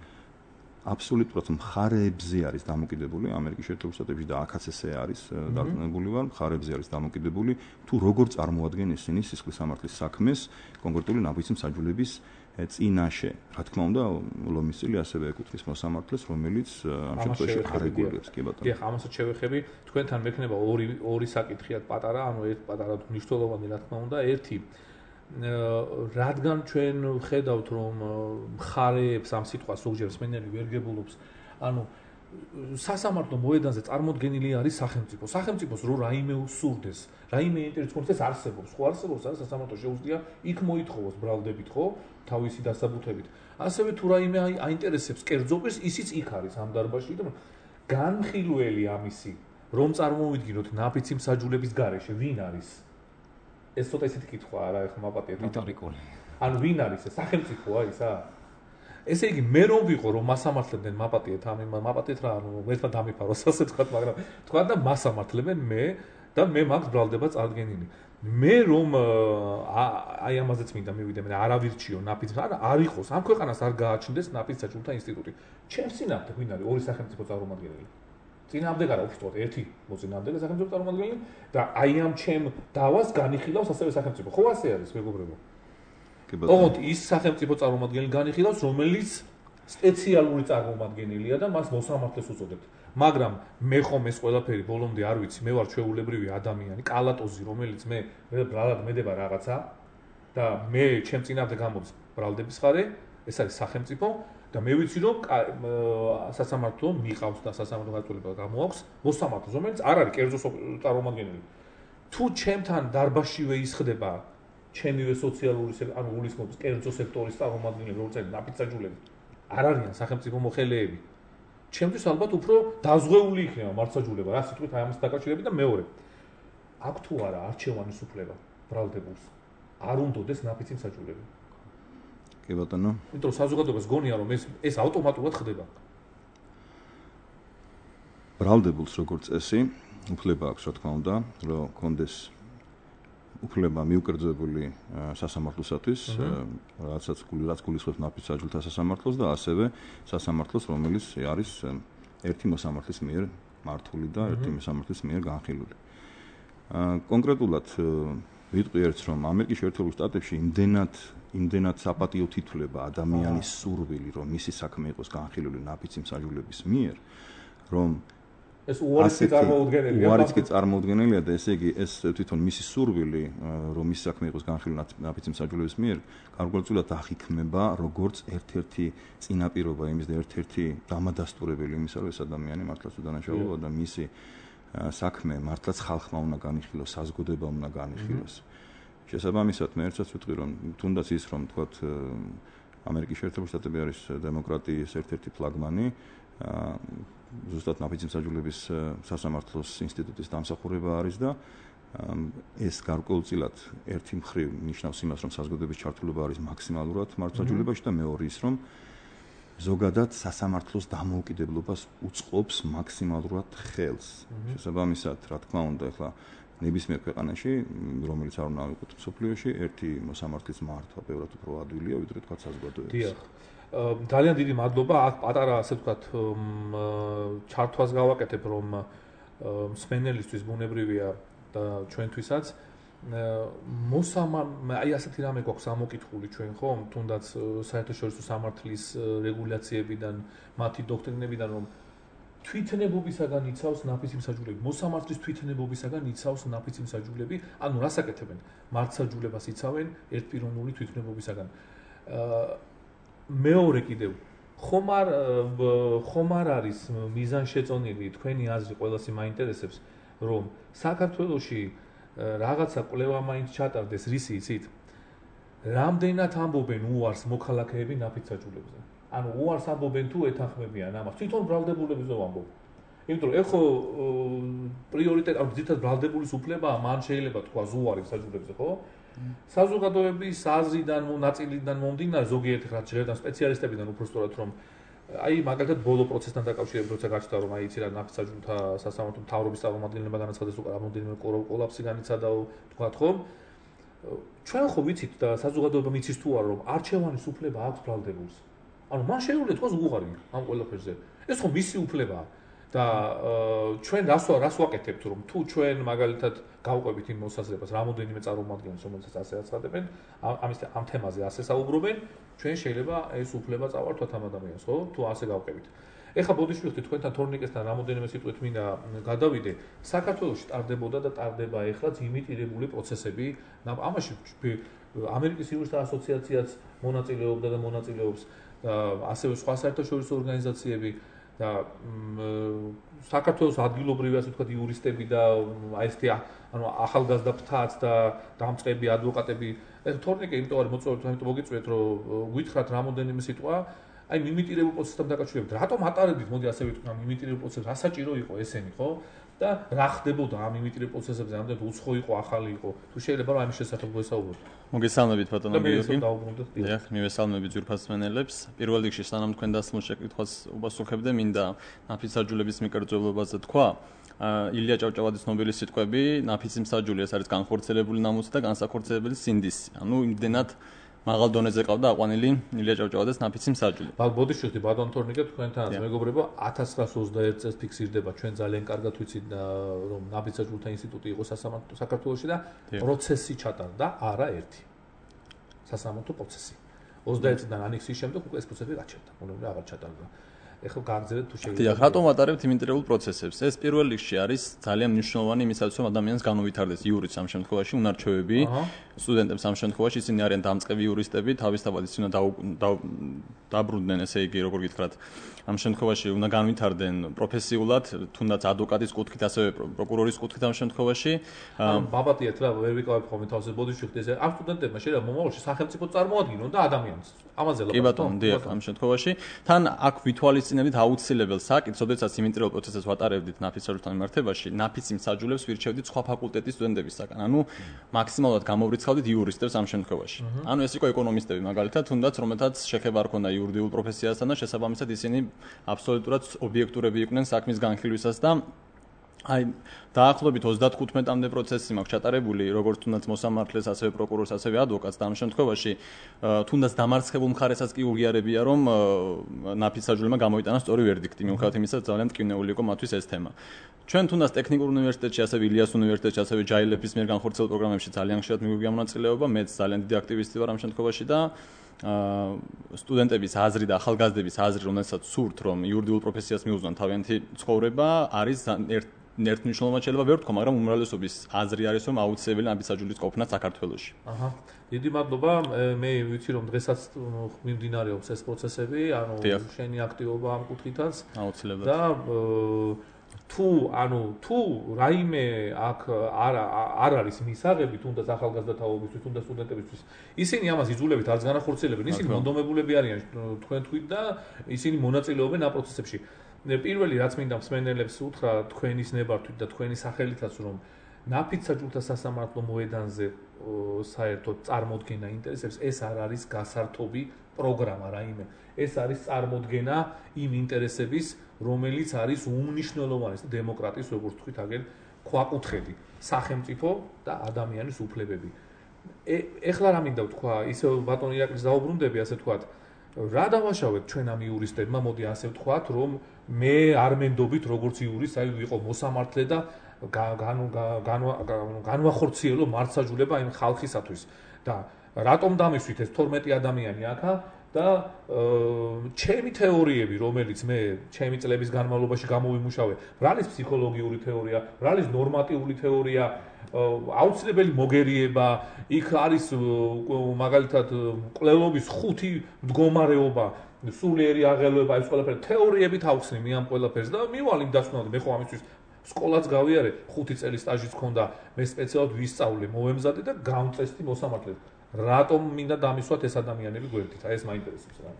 აბსოლუტურად მხარეებზე არის დამოკიდებული ამერიკის შეერთებულ შტატებში და აქაც ესე არის დარწმუნებული ვარ, მხარეებზე არის დამოკიდებული თუ როგორ წარმოადგენენ ისინი სისხლის სამართლის საქმეს კონკრეტული ნაბიჯი მსაჯულების წინაშე. რა თქმა უნდა, ლომის წილი ასევე ეკუთვნის მოსამართლეს, რომელიც ამ შემთხვევაში არეგულირებს, კი ბატონო. კი, ამასაც შევეხები, თქვენთან მექნება ორი საკითხიად პატარა, ანუ ერთ პატარა მნიშვნელოვანი, რა თქმა უნდა, ერთი რადგან ჩვენ ხედავთ რომ მხარეებს ამ სიტყვას ზოგჯერ მსმენელი ვერ გებულობს, ანუ სასამართლო მოედანზე წარმოდგენილი არის სახელმწიფო. სახელმწიფოს რო რაიმე უსურდეს, რაიმე ინტერესი კონდეს არსებობს, ხო არსებობს, არა სასამართლო შეუძლია იქ მოითხოვოს ბრალდებით, ხო, თავისი დასაბუთებით. ასევე თუ რაიმე აინტერესებს კერძო პირს, ისიც იქ არის ამ დარბაზში და განხილველი ამისი, რომ წარმოვიდგინოთ ნაფიცი მსაჯულების გარეშე, ვინ არის? ეს ცოტა ისეთი კითხვაა რა, ეხლა მაპატიეთ. რიტორიკული. ანუ ვინ არის ეს? სახელმწიფოა ისა? ესე იგი, მე რომ ვიყო რომ მასამართლებდნენ მაპატიეთ, მაპატიეთ რა, ანუ ერთმა დამიფაროს ასე თქვა, მაგრამ თქვა და მასამართლებენ მე და მე მაქვს ბრალდება წარდგენილი. მე რომ აი ამაზეც მინდა მივიდე, მე არავირჩიო ნაფიც, არ იყოს, ამ ქვეყანას არ გააჩნდეს ნაფიც საჯულთა ინსტიტუტი. ჩემს წინააღმდეგ ვინ არის? ორი სახელმწიფო წარმომადგენელი. წინააღმდეგ არა უბრალოდ ერთი მოწინააღმდეგე სახელმწიფო წარმომადგენელი და აი ამ ჩემ დავას განიხილავს ასევე სახელმწიფო. ხო ასე არის, მეგობრებო? ოღონდ ის სახელმწიფო წარმომადგენელი განიხილავს, რომელიც სპეციალური წარმომადგენელია და მას მოსამართლეს უწოდებთ. მაგრამ მე ხომ ეს ყველაფერი ბოლომდე არ ვიცი, მე ვარ ჩვეულებრივი ადამიანი, კალატოზი, რომელიც მე ბრალად მედება რაღაცა და მე ჩემ წინააღმდეგ გამოდის ბრალდების ხარე ეს არის სახელმწიფო და მე ვიცი რომ სასამართლო მიყავს და სასამართლო გაწოლება გამოაქვს მოსამართლოს რომელიც არ არის კერძო წარმომადგენელი თუ ჩემთან დარბაშივე ისხდება ჩემივე სოციალური ანუ გულისხმობს კერძო სექტორის წარმომადგენლები როგორც არის ნაფიცაჯულები არ არიან სახელმწიფო მოხელეები ჩემთვის ალბათ უფრო დაზღვეული იქნება მართლმსაჯულება რა სიტყვით აი ამას დაკავშირებით და მეორე აქ თუ არა არჩევანის უფლება ბრალდებულს არ უნდოდეს ნაფიცი მსაჯულები კი ბატონო იმიტომ რომ საზოგადოებას გონია რომ ეს ავტომატურად ხდება ბრალდებულს როგორც წესი უფლება აქვს რა თქმა უნდა რომ კონდეს უფლება მიუკერძებული სასამართლოსათვის რაც გულისხმობს ნაფიცაჯულთა სასამართლოს და ასევე სასამართლოს რომელიც არის ერთი მოსამართლის მიერ მართული და ერთი მოსამართლის მიერ განხილული კონკრეტულად ვიტყვი ერთს რომ ამერიკის შეერთებულ შტატებში იმდენად საპატიო თითვლება ადამიანის სურვილი რომ მისი საქმე იყოს განხილული ნაფიცი მსაჯულების მიერ რომ ეს უარიც კი წარმოუდგენელია და ესე იგი ეს თვითონ მისი სურვილი რომ მისი საქმე იყოს განხილული ნაფიცი მსაჯულების მიერ გარკვეულწილად აღიქმება როგორც ერთ-ერთი წინაპირობა იმის და ერთ-ერთი დამადასტურებელი იმისა რომ ეს ადამიანი მართლაც უდანაშაულოა და მისი საქმე მართლაც ხალხმა უნდა განიხილოს, საზოგადოება უნდა განიხილოს. შესაბამისად მე ერთსაც ვიტყვი რომ თუნდაც ის რომ თქვათ ამერიკის შეერთებული შტატები არის დემოკრატიის ერთ-ერთი ფლაგმანი ზუსტად ნაფიცი მსაჯულების სასამართლოს ინსტიტუტის დამსახურება არის და ეს გარკვეულწილად ერთი მხრივ ნიშნავს იმას რომ საზოგადოების ჩართულობა არის მაქსიმალურად მართლმსაჯულებაში და მეორე ის რომ ზოგადად სასამართლოს დამოუკიდებლობას უწყობს მაქსიმალურად ხელს. შესაბამისად, რა თქმა უნდა, ახლა ნებისმიერ ქვეყანაში, რომელიც არ უნდა იყოს მსოფლიოში, ერთი მოსამართლის მართვა ბევრად უფრო ადვილია, ვიდრე თქვა საზოგადოების. დიახ. ძალიან დიდი მადლობა. აქ პატარა ასე ვთქვათ, ჩართვას გავაკეთებ, რომ მსმენელისთვის ბუნებრივია და ჩვენთვისაც აი ასეთი რამე გვაქვს ამოკითხული ჩვენ ხომ თუნდაც საერთაშორისო სამართლის რეგულაციებიდან მათი დოქტრინებიდან რომ თვითნებობისაგან იცავს ნაფიცი მსაჯულები მოსამართლის თვითნებობისაგან იცავს ნაფიცი მსაჯულები ანუ რას აკეთებენ მართლმსაჯულებას იცავენ ერთპიროვნული თვითნებობისაგან მეორე კიდევ ხომ არ არის მიზანშეწონილი თქვენი აზრი ყველასი მაინტერესებს რომ საქართველოში რაღაცა კვლევა მაინც ჩატარდეს რისი იცით? რამდენად ამბობენ უარს მოქალაქეები ნაფიცაჯულებზე? ანუ უარს ამბობენ თუ ეთანხმებიან ამას? თვითონ ბრალდებულებებზე ვამბობ. იმიტომ რომ ეხო პრიორიტეტი, ანუ ძირითადად ბრალდებულის უფლებაა, მან შეიძლება თქვა უარი მსაჯულებზე, ხო? საზოგადოების აზრიდან, ნაწილიდან მომდინარე ზოგიერთი ხალხი შეიძლება სპეციალისტებიდან უბრალოდ რომ აი მაგალითად ბოლო პროცესთან დაკავშირებით როცა გაჩნდა რომ აი იცი რა ნაფიცაჯულთა სასამართლო მთავრობის წარმომადგენლებმა განაცხადეს უკვე რამოდენიმე კოლაფსი განიცადაო თქვათ ხომ ჩვენ ხო ვიცით და საზოგადოებამ იცის თუ არა რომ არჩევანის უფლება აქვს ბრალდებულს ანუ მან შეუძლია თქვას უღარი ამ ყველაფერზე ეს ხო მისი უფლებაა და ჩვენ რას ვაკეთებთ რომ თუ ჩვენ მაგალითად გავყვებით იმ მოსაზრებას რამოდენიმე წარმომადგენელს რომელსაც ასე აცხადებენ ამ თემაზე ასე საუბრობენ ჩვენ შეიძლება ეს უფლება წავართვათ ამ ადამიანს ხო თუ ასე გავყვებით ეხლა ბოდიშვილი თქვენთან თორნიკესთან რამოდენიმე სიტყვით მინდა გადავიდე საქართველოში ტარდებოდა და ტარდება ეხლაც იმიტირებული პროცესები ამაში ამერიკის იურისტთა ასოციაციაც მონაწილეობდა და მონაწილეობს ასევე სხვა საერთაშორისო ორგანიზაციები და საქართველოს ადგილობრივი ასე ვთქვათ იურისტები და აი ესეთი ანუ ახალგაზრდა ფრთაც და დამწყები ადვოკატები ეს თორნიკე იმიტომ არის მოწვეული ამიტომ მოგიწვიეთ რომ გითხრათ რამოდენიმე სიტყვა აი მიმიტირებულ პროცესთან დაკავშირებით რატომ ატარებდით მოდი ასე ვიტყვი ამ მიმიტირებულ პროცესს რა საჭირო იყო ესენი ხო და რა ხდებოდა ამ მიმიტირებულ პროცესებზე ამდენად უცხო იყო ახალი იყო თუ შეიძლება რომ ამის შესახებ ვესაუბროთ მოგესალმებით ბატონო გიორგი დიახ მივესალმებით ძვირფას მსმენელებს პირველ რიგში სანამ თქვენ დასმულ შეკითხვას უპასუხებდე მინდა ნაფიცაჯულების მიკერძელობაზე თქვა ილია ჭავჭავაძის ნობელის სიტყვები ნაფიცი მსაჯული ეს არის განხორციელებული ნამუსი და განსახორციელებელი სინდისი ანუ იმდენად მაღალ დონეზე ყავდა აყვანილი ილია ჭავჭავაძეს ნაფიცი მსაჯული. ბოდიშვილი ბატონ თორნიკე თქვენთან მეგობრებო 1921 წელს ფიქსირდება ჩვენ ძალიან კარგად ვიცით რომ ნაფიცაჯულთა ინსტიტუტი იყო საქართველოში და პროცესი ჩატარდა არაერთი სასამართლო პროცესი 21 წლიდან ანექსიის შემდეგ უკვე ეს პროცესი გაჩერდა, მონები აღარ ჩატარდა. ეხლა გააგზავნეთ თუ შეიძლება. დიახ, რატომ ვატარებთ იმინტერვიულ პროცესებს? ეს პირველ რიგში არის ძალიან მნიშვნელოვანი იმისათვის, რომ ადამიანს განუვითარდეს იურიც ამ შემთხვევაში, უნარჩვევები, სტუდენტებს ამ შემთხვევაში ისინი არიან დამწყები იურისტები, თავისთავად ისინი დაბრუნდნენ, ესე იგი, როგორ გითხრათ, ამ შემთხვევაში უნდა განვითარდნენ პროფესიულად, თუნდაც ადვოკატის კუთხით, ასევე პროკურორის კუთხით ამ შემთხვევაში. ბაბატიეთ რა, ვერ ვიკავებ ხოლმე თავს ბოდიში ხდეს. ამ სტუდენტებმა შეიძლება მომავალში სახელმწიფო წარმოადგინონ და ადამიანს. ამაზე კი ბატონო, დიახ, ამ შემთხვევაში თან აქ ვითვალისწინებთ აუცილებელ საკითხს, როდესაც იმინტერვიულ პროცესს ვატარებდით ნაფიც საჯულთან მიმართებაში, ნაფიც იმ საჯულებს ვირჩევდით სხვა ფაკულტეტის სტუდენტებისგან. ანუ მაქსიმალურად გამოვრიცხავდით იურისტებს ამ შემთხვევაში. ანუ ეს იყო ეკონომისტები მაგალითად, თუნდაც რომელთაც შეხება არ ქონდა იურიდიულ პროფესიასთან და შესაბამისად ისინი აბსოლუტურად ობიექტურები იყვნენ საქმის განხილვისას და აი დაახლოებით 35-მდე პროცესი მაქვს ჩატარებული, როგორც თუნდაც მოსამართლეს, ასევე პროკურორს, ასევე ადვოკატს და ამ შემთხვევაში თუნდაც დამარცხებულ მხარესაც კი უღიარებია, რომ ნაფიც საჯულემა გამოიტანა სწორი ვერდიქტი, მიუხედავად იმისა, რომ ძალიან ტკივნეული იყო მათთვის ეს თემა. ჩვენ თუნდაც ტექნიკურ უნივერსიტეტში, ასევე ილიას უნივერსიტეტში, ასევე ჯაილეფის მიერ განხორციელებულ პროგრამებში ძალიან ხშირად მიგვიგია მონაწილეობა, მეც ძალიან დიდი აქტივისტი ვარ ამ შემთხვევაში და სტუდენტების აზრი და ახალგაზრდების აზრი, რომელსაც სურთ, რომ იურიდიულ პროფესიას მიუძღვნან თავიანთი ცხოვრება, არის ერთმნიშვნელოვნად შეიძლება ვერ ვთქვა, მაგრამ უმრავლესობის აზრი არის, რომ აუცილებელი ნაფიც საჯულის ყოფნა საქართველოში. აჰა. დიდი მადლობა. მე ვიცი, რომ დღესაც მიმდინარეობს ეს პროცესები, ანუ შენი აქტივობა ამ კუთხითაც. აუცილებლად. და თუ რაიმე აქ არ არის მისაღები, თუნდაც ახალგაზრდა თაობისთვის, თუნდაც სტუდენტებისთვის, ისინი ამას იძულებით არც განახორციელებენ, ისინი მონდომებულები არიან თქვენ თვით და ისინი მონაწილეობენ ამ პროცესებში. პირველი რაც მინდა მსმენელებს უთხრა თქვენის ნებართვით და თქვენი სახელითაც, რომ ნაფიც საჯულთა სასამართლო მოედანზე საერთოდ წარმოდგენა ინტერესებს, ეს არ არის გასართობი პროგრამა რაიმე. ეს არის წარმოდგენა იმ ინტერესების, რომელიც არის უმნიშვნელოვანეს დემოკრატიის, როგორც თქვით, აგერ ქვაკუთხედი, სახელმწიფო და ადამიანის უფლებები. ეხლა რა მინდა ვთქვა, ისე ბატონ ირაკლის დაუბრუნდები, ასე ვთქვათ, რა დავაშავეთ ჩვენ ამ იურისტებმა, მოდი ასე ვთქვათ, რომ მე არ მენდობით როგორც იურისტი, აი ვიყო მოსამართლე და განვახორციელო მართსაჯულება იმ ხალხისათვის და რატომ დამისვით ეს 12 ადამიანი აქა და ჩემი თეორიები, რომელიც მე ჩემი წლების განმავლობაში გამოვიმუშავე, რა არის ფსიქოლოგიური თეორია, რა არის ნორმატიული თეორია, აუცილებელი მოგერიება, იქ არის მაგალითად კვლელობის 5 მდგომარეობა, სულიერი აღელვება, ეს ყველაფერი თეორიებით ავხსნი მე ამ ყველაფერს და მივალ იმ დასკვნამდე, მე ხო ამისთვის სკოლაც გავიარე, 5 წელი სტაჟიც ჰქონდა, მე სპეციალურად ვისწავლე, მოვემზადე და გავწესდი მოსამართლედ. რატომ მინდა დამისვათ ეს ადამიანები გვერდით? აი ეს მაინტერესებს რა.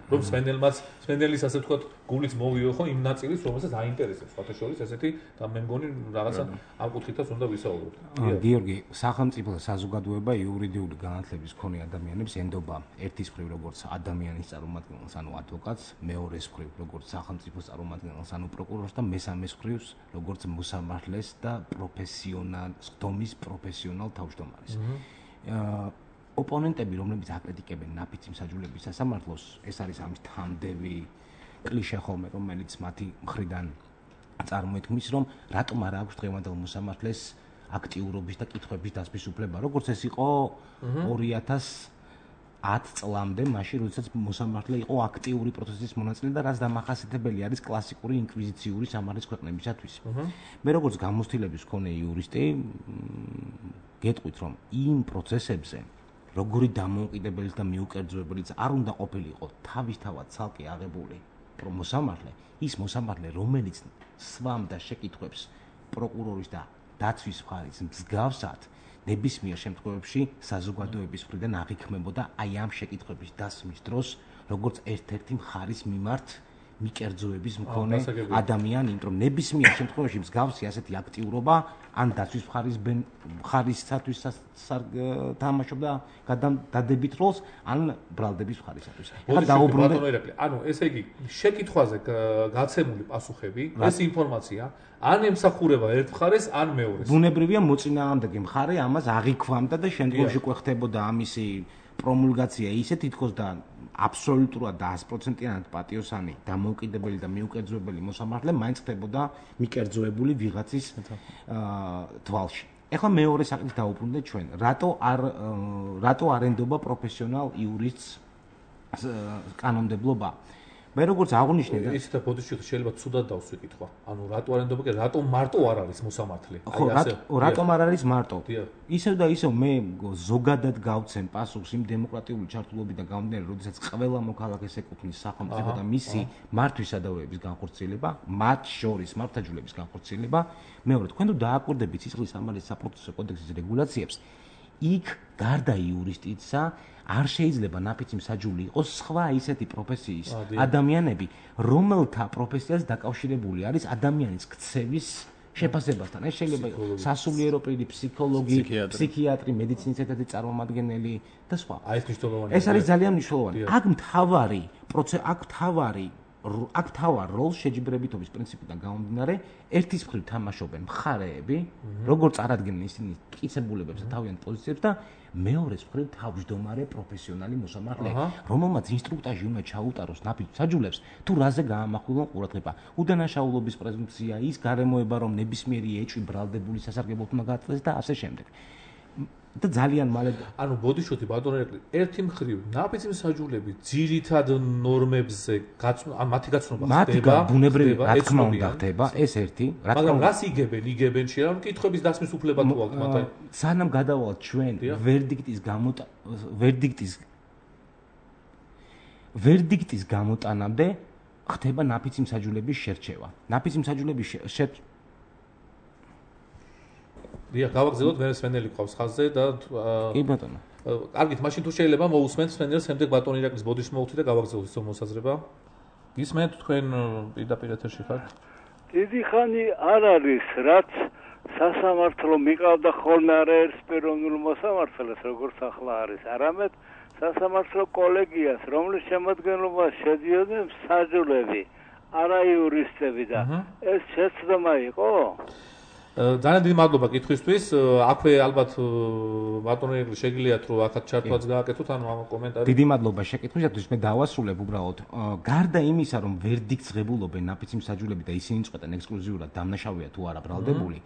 რომ სპენდელის ასე ვთქვათ, გულიც მოვიო ხო იმ ნაწილის, რომელსაც აინტერესებს, ფათაშორის ესეთი და მე მგონი რაღაცა ამ კუთხითაც უნდა ვისაუბროთ. გიორგი, სახელმწიფო და საზოგადოება იურიდიული განათლების მქონე ადამიანებს ენდობა ერთის მხრივ როგორც ადამიანის წარმომადგენელს, ანუ ადვოკატს, მეორეს მხრივ როგორც სახელმწიფოს წარმომადგენელს, ანუ პროკურორს და მესამეს მხრივ როგორც მოსამართლეს და სხდომის პროფესიონალ თავმჯდომარეს. ოპონენტები, რომლებიც აკრიტიკებენ ნაფიც საჯულების სასამართლოს, ეს არის ამის თანდევი კლიშე ხოლმე, რომელიც მათი მხრიდან წარმოითქმის, რომ რატომ არ აქვს დღევანდელ მოსამართლეს აქტიურობის და კითხვების დასმის უფლება, როგორც ეს იყო 2010 წლამდე, მაშინ, როდესაც მოსამართლე იყო აქტიური პროცესის მონაწილე და რაც დამახასიათებელი არის კლასიკური ინკვიზიციური სამართლის ქვეყნებისათვის. მე როგორც გამოცდილების მქონე იურისტი, გეტყვით, რომ იმ პროცესებზე როგორი დამოუკიდებელიც და მიუკერძოებელიც არ უნდა ყოფილიყო თავისთავად ცალკე აღებული მოსამართლე, ის მოსამართლე, რომელიც სვამდა შეკითხვებს პროკურორის და დაცვის მხარის მსგავსად, ნებისმიერ შემთხვევაში საზოგადოების მხრიდან აღიქმებოდა აი ამ შეკითხვების დასმის დროს, როგორც ერთ-ერთი მხარის მიმართ მიკერძოების მქონე ადამიანი, იმიტომ რომ ნებისმიერ შემთხვევაში მსგავსი ასეთი აქტიურობა ან დაცვის მხარისათვის თამაშობდა დადებით როლს, ან ბრალდების მხარისათვის. ახლა დაუბრუნდე. ანუ ესე იგი, შეკითხვაზე გაცემული პასუხები, ეს ინფორმაცია ან ემსახურება ერთ მხარეს, ან მეორეს. ბუნებრივია მოწინააღმდეგე მხარე ამას აღიქვამდა და შემდგომში ყვეხდებოდა ამისი პრომულგაცია ისე თითქოს და აბსოლუტურად და 100%-იანად პატიოსანი დამოუკიდებელი და მიუკერძოებელი მოსამართლე მაინც ხდებოდა მიკერძოებული ვიღაცის თვალში. ეხლა მეორე საკითხი დავუბრუნდეთ ჩვენ. რატო არ ენდობა პროფესიონალ იურისტს კანონმდებლობა? მე როგორც აღნიშნე და ისეთ ბოდიში შეიძლება ცუდად დავსვი კითხვა. ანუ რატო არ ენდობა, რატომ მარტო არ არის მოსამართლე? ხო, რატომ არ არის მარტო? ისევ და ისევ მე ზოგადად გავცემ პასუხს იმ დემოკრატიული ჩართულობიდან გამომდინარე, როდესაც ყველა მოქალაქეს ეკუთვნის სახელმწიფო და მისი მართვისადავების განხორციელება, მათ შორის მართლმსაჯულების განხორციელება. მეორე, თქვენ თუ დააკვირდებით სისხლის სამართლის საპროცესო კოდექსის რეგულაციებს, იქ გარდა იურისტისა არ შეიძლება ნაფიცი მსაჯული იყოს სხვა ისეთი პროფესიის ადამიანები, რომელთა პროფესიას დაკავშირებული არის ადამიანის ქცევის შეფასებასთან. ეს შეიძლება იყოს სასულიერო პირი, ფსიქოლოგი, ფსიქიატრი, მედიცინის ერთ-ერთი წარმომადგენელი და სხვა. ეს არის ძალიან მნიშვნელოვანი. აქ მთავარ როლს შეჯიბრებითობის პრინციპიდან გამომდინარე, ერთის მხრივ თამაშობენ მხარეები, როგორც წარადგენენ ისინი მტკიცებულებებს და თავიანთ პოზიციებს და მეორეს მხრივ თავმჯდომარე პროფესიონალი მოსამართლე, რომელმაც ინსტრუქტაჟი უნდა ჩაუტაროს ნაფიც მსაჯულებს, თუ რაზე გაამახვილონ ყურადღება. უდანაშაულობის პრეზუმპცია, ის გარემოება, რომ ნებისმიერი ეჭვი ბრალდებული სასარგებლოდ უნდა გაწყდეს და ასე შემდეგ. და ძალიან მალე ანუ ბოდიშოთი ბატონო ერეკლი ერთი მხრივ ნაფიცი მსაჯულები ძირითად ნორმებზე მათი გაცნობა ხდება მათი ბუნებრივი რა თქმა უნდა ხდება ეს ერთი მაგრამ რას იგებენ შეიძლება კითხვების დასმის უფლება თუ აქვს მათ სანამ გადავალთ ჩვენ ვერდიქტის გამოტანამდე ხდება ნაფიცი მსაჯულების შერჩევა ნაფიცი მსაჯულების დიახ, გავაგზავნოთ მე სვენელი ყავს ხაზზე და კი ბატონო. კარგით, მაშინ თუ შეიძლება მოусმენთ სვენელს, შემდეგ ბატონი ირაკლის ბოდიშს მოვუხდი და გავაგზავნოთ ისო მოსაზრება. გისმენთ თქვენ პირდაპირ ეთერში ხართ? დიდი ხანი არ არის, რაც სასამართლო მიყავდა ხოლმე არაერთ პიროვნულ მოსამართლეს, როგორც ახლა არის, არამედ სასამართლო კოლეგიას, რომლის შემადგენლობაში შედიოდნენ მსაჯულები, არა იურისტები და ეს შეცდომა იყო? ძალიან დიდი მადლობა კითხვისთვის. აქვე ალბათ ბატონო ირაკლი შეგიძლიათ რომ აქაც ჩართვაც გააკეთოთ ანუ ამ კომენტარი. დიდი მადლობა შეკითხვისათვის. მე დავასრულებ უბრალოდ. გარდა იმისა, რომ ვერდიქტს ღებულობენ ნაფიცი მსაჯულები და ისინი წყვეტენ ექსკლუზიურად დამნაშავეა თუ არა ბრალდებული,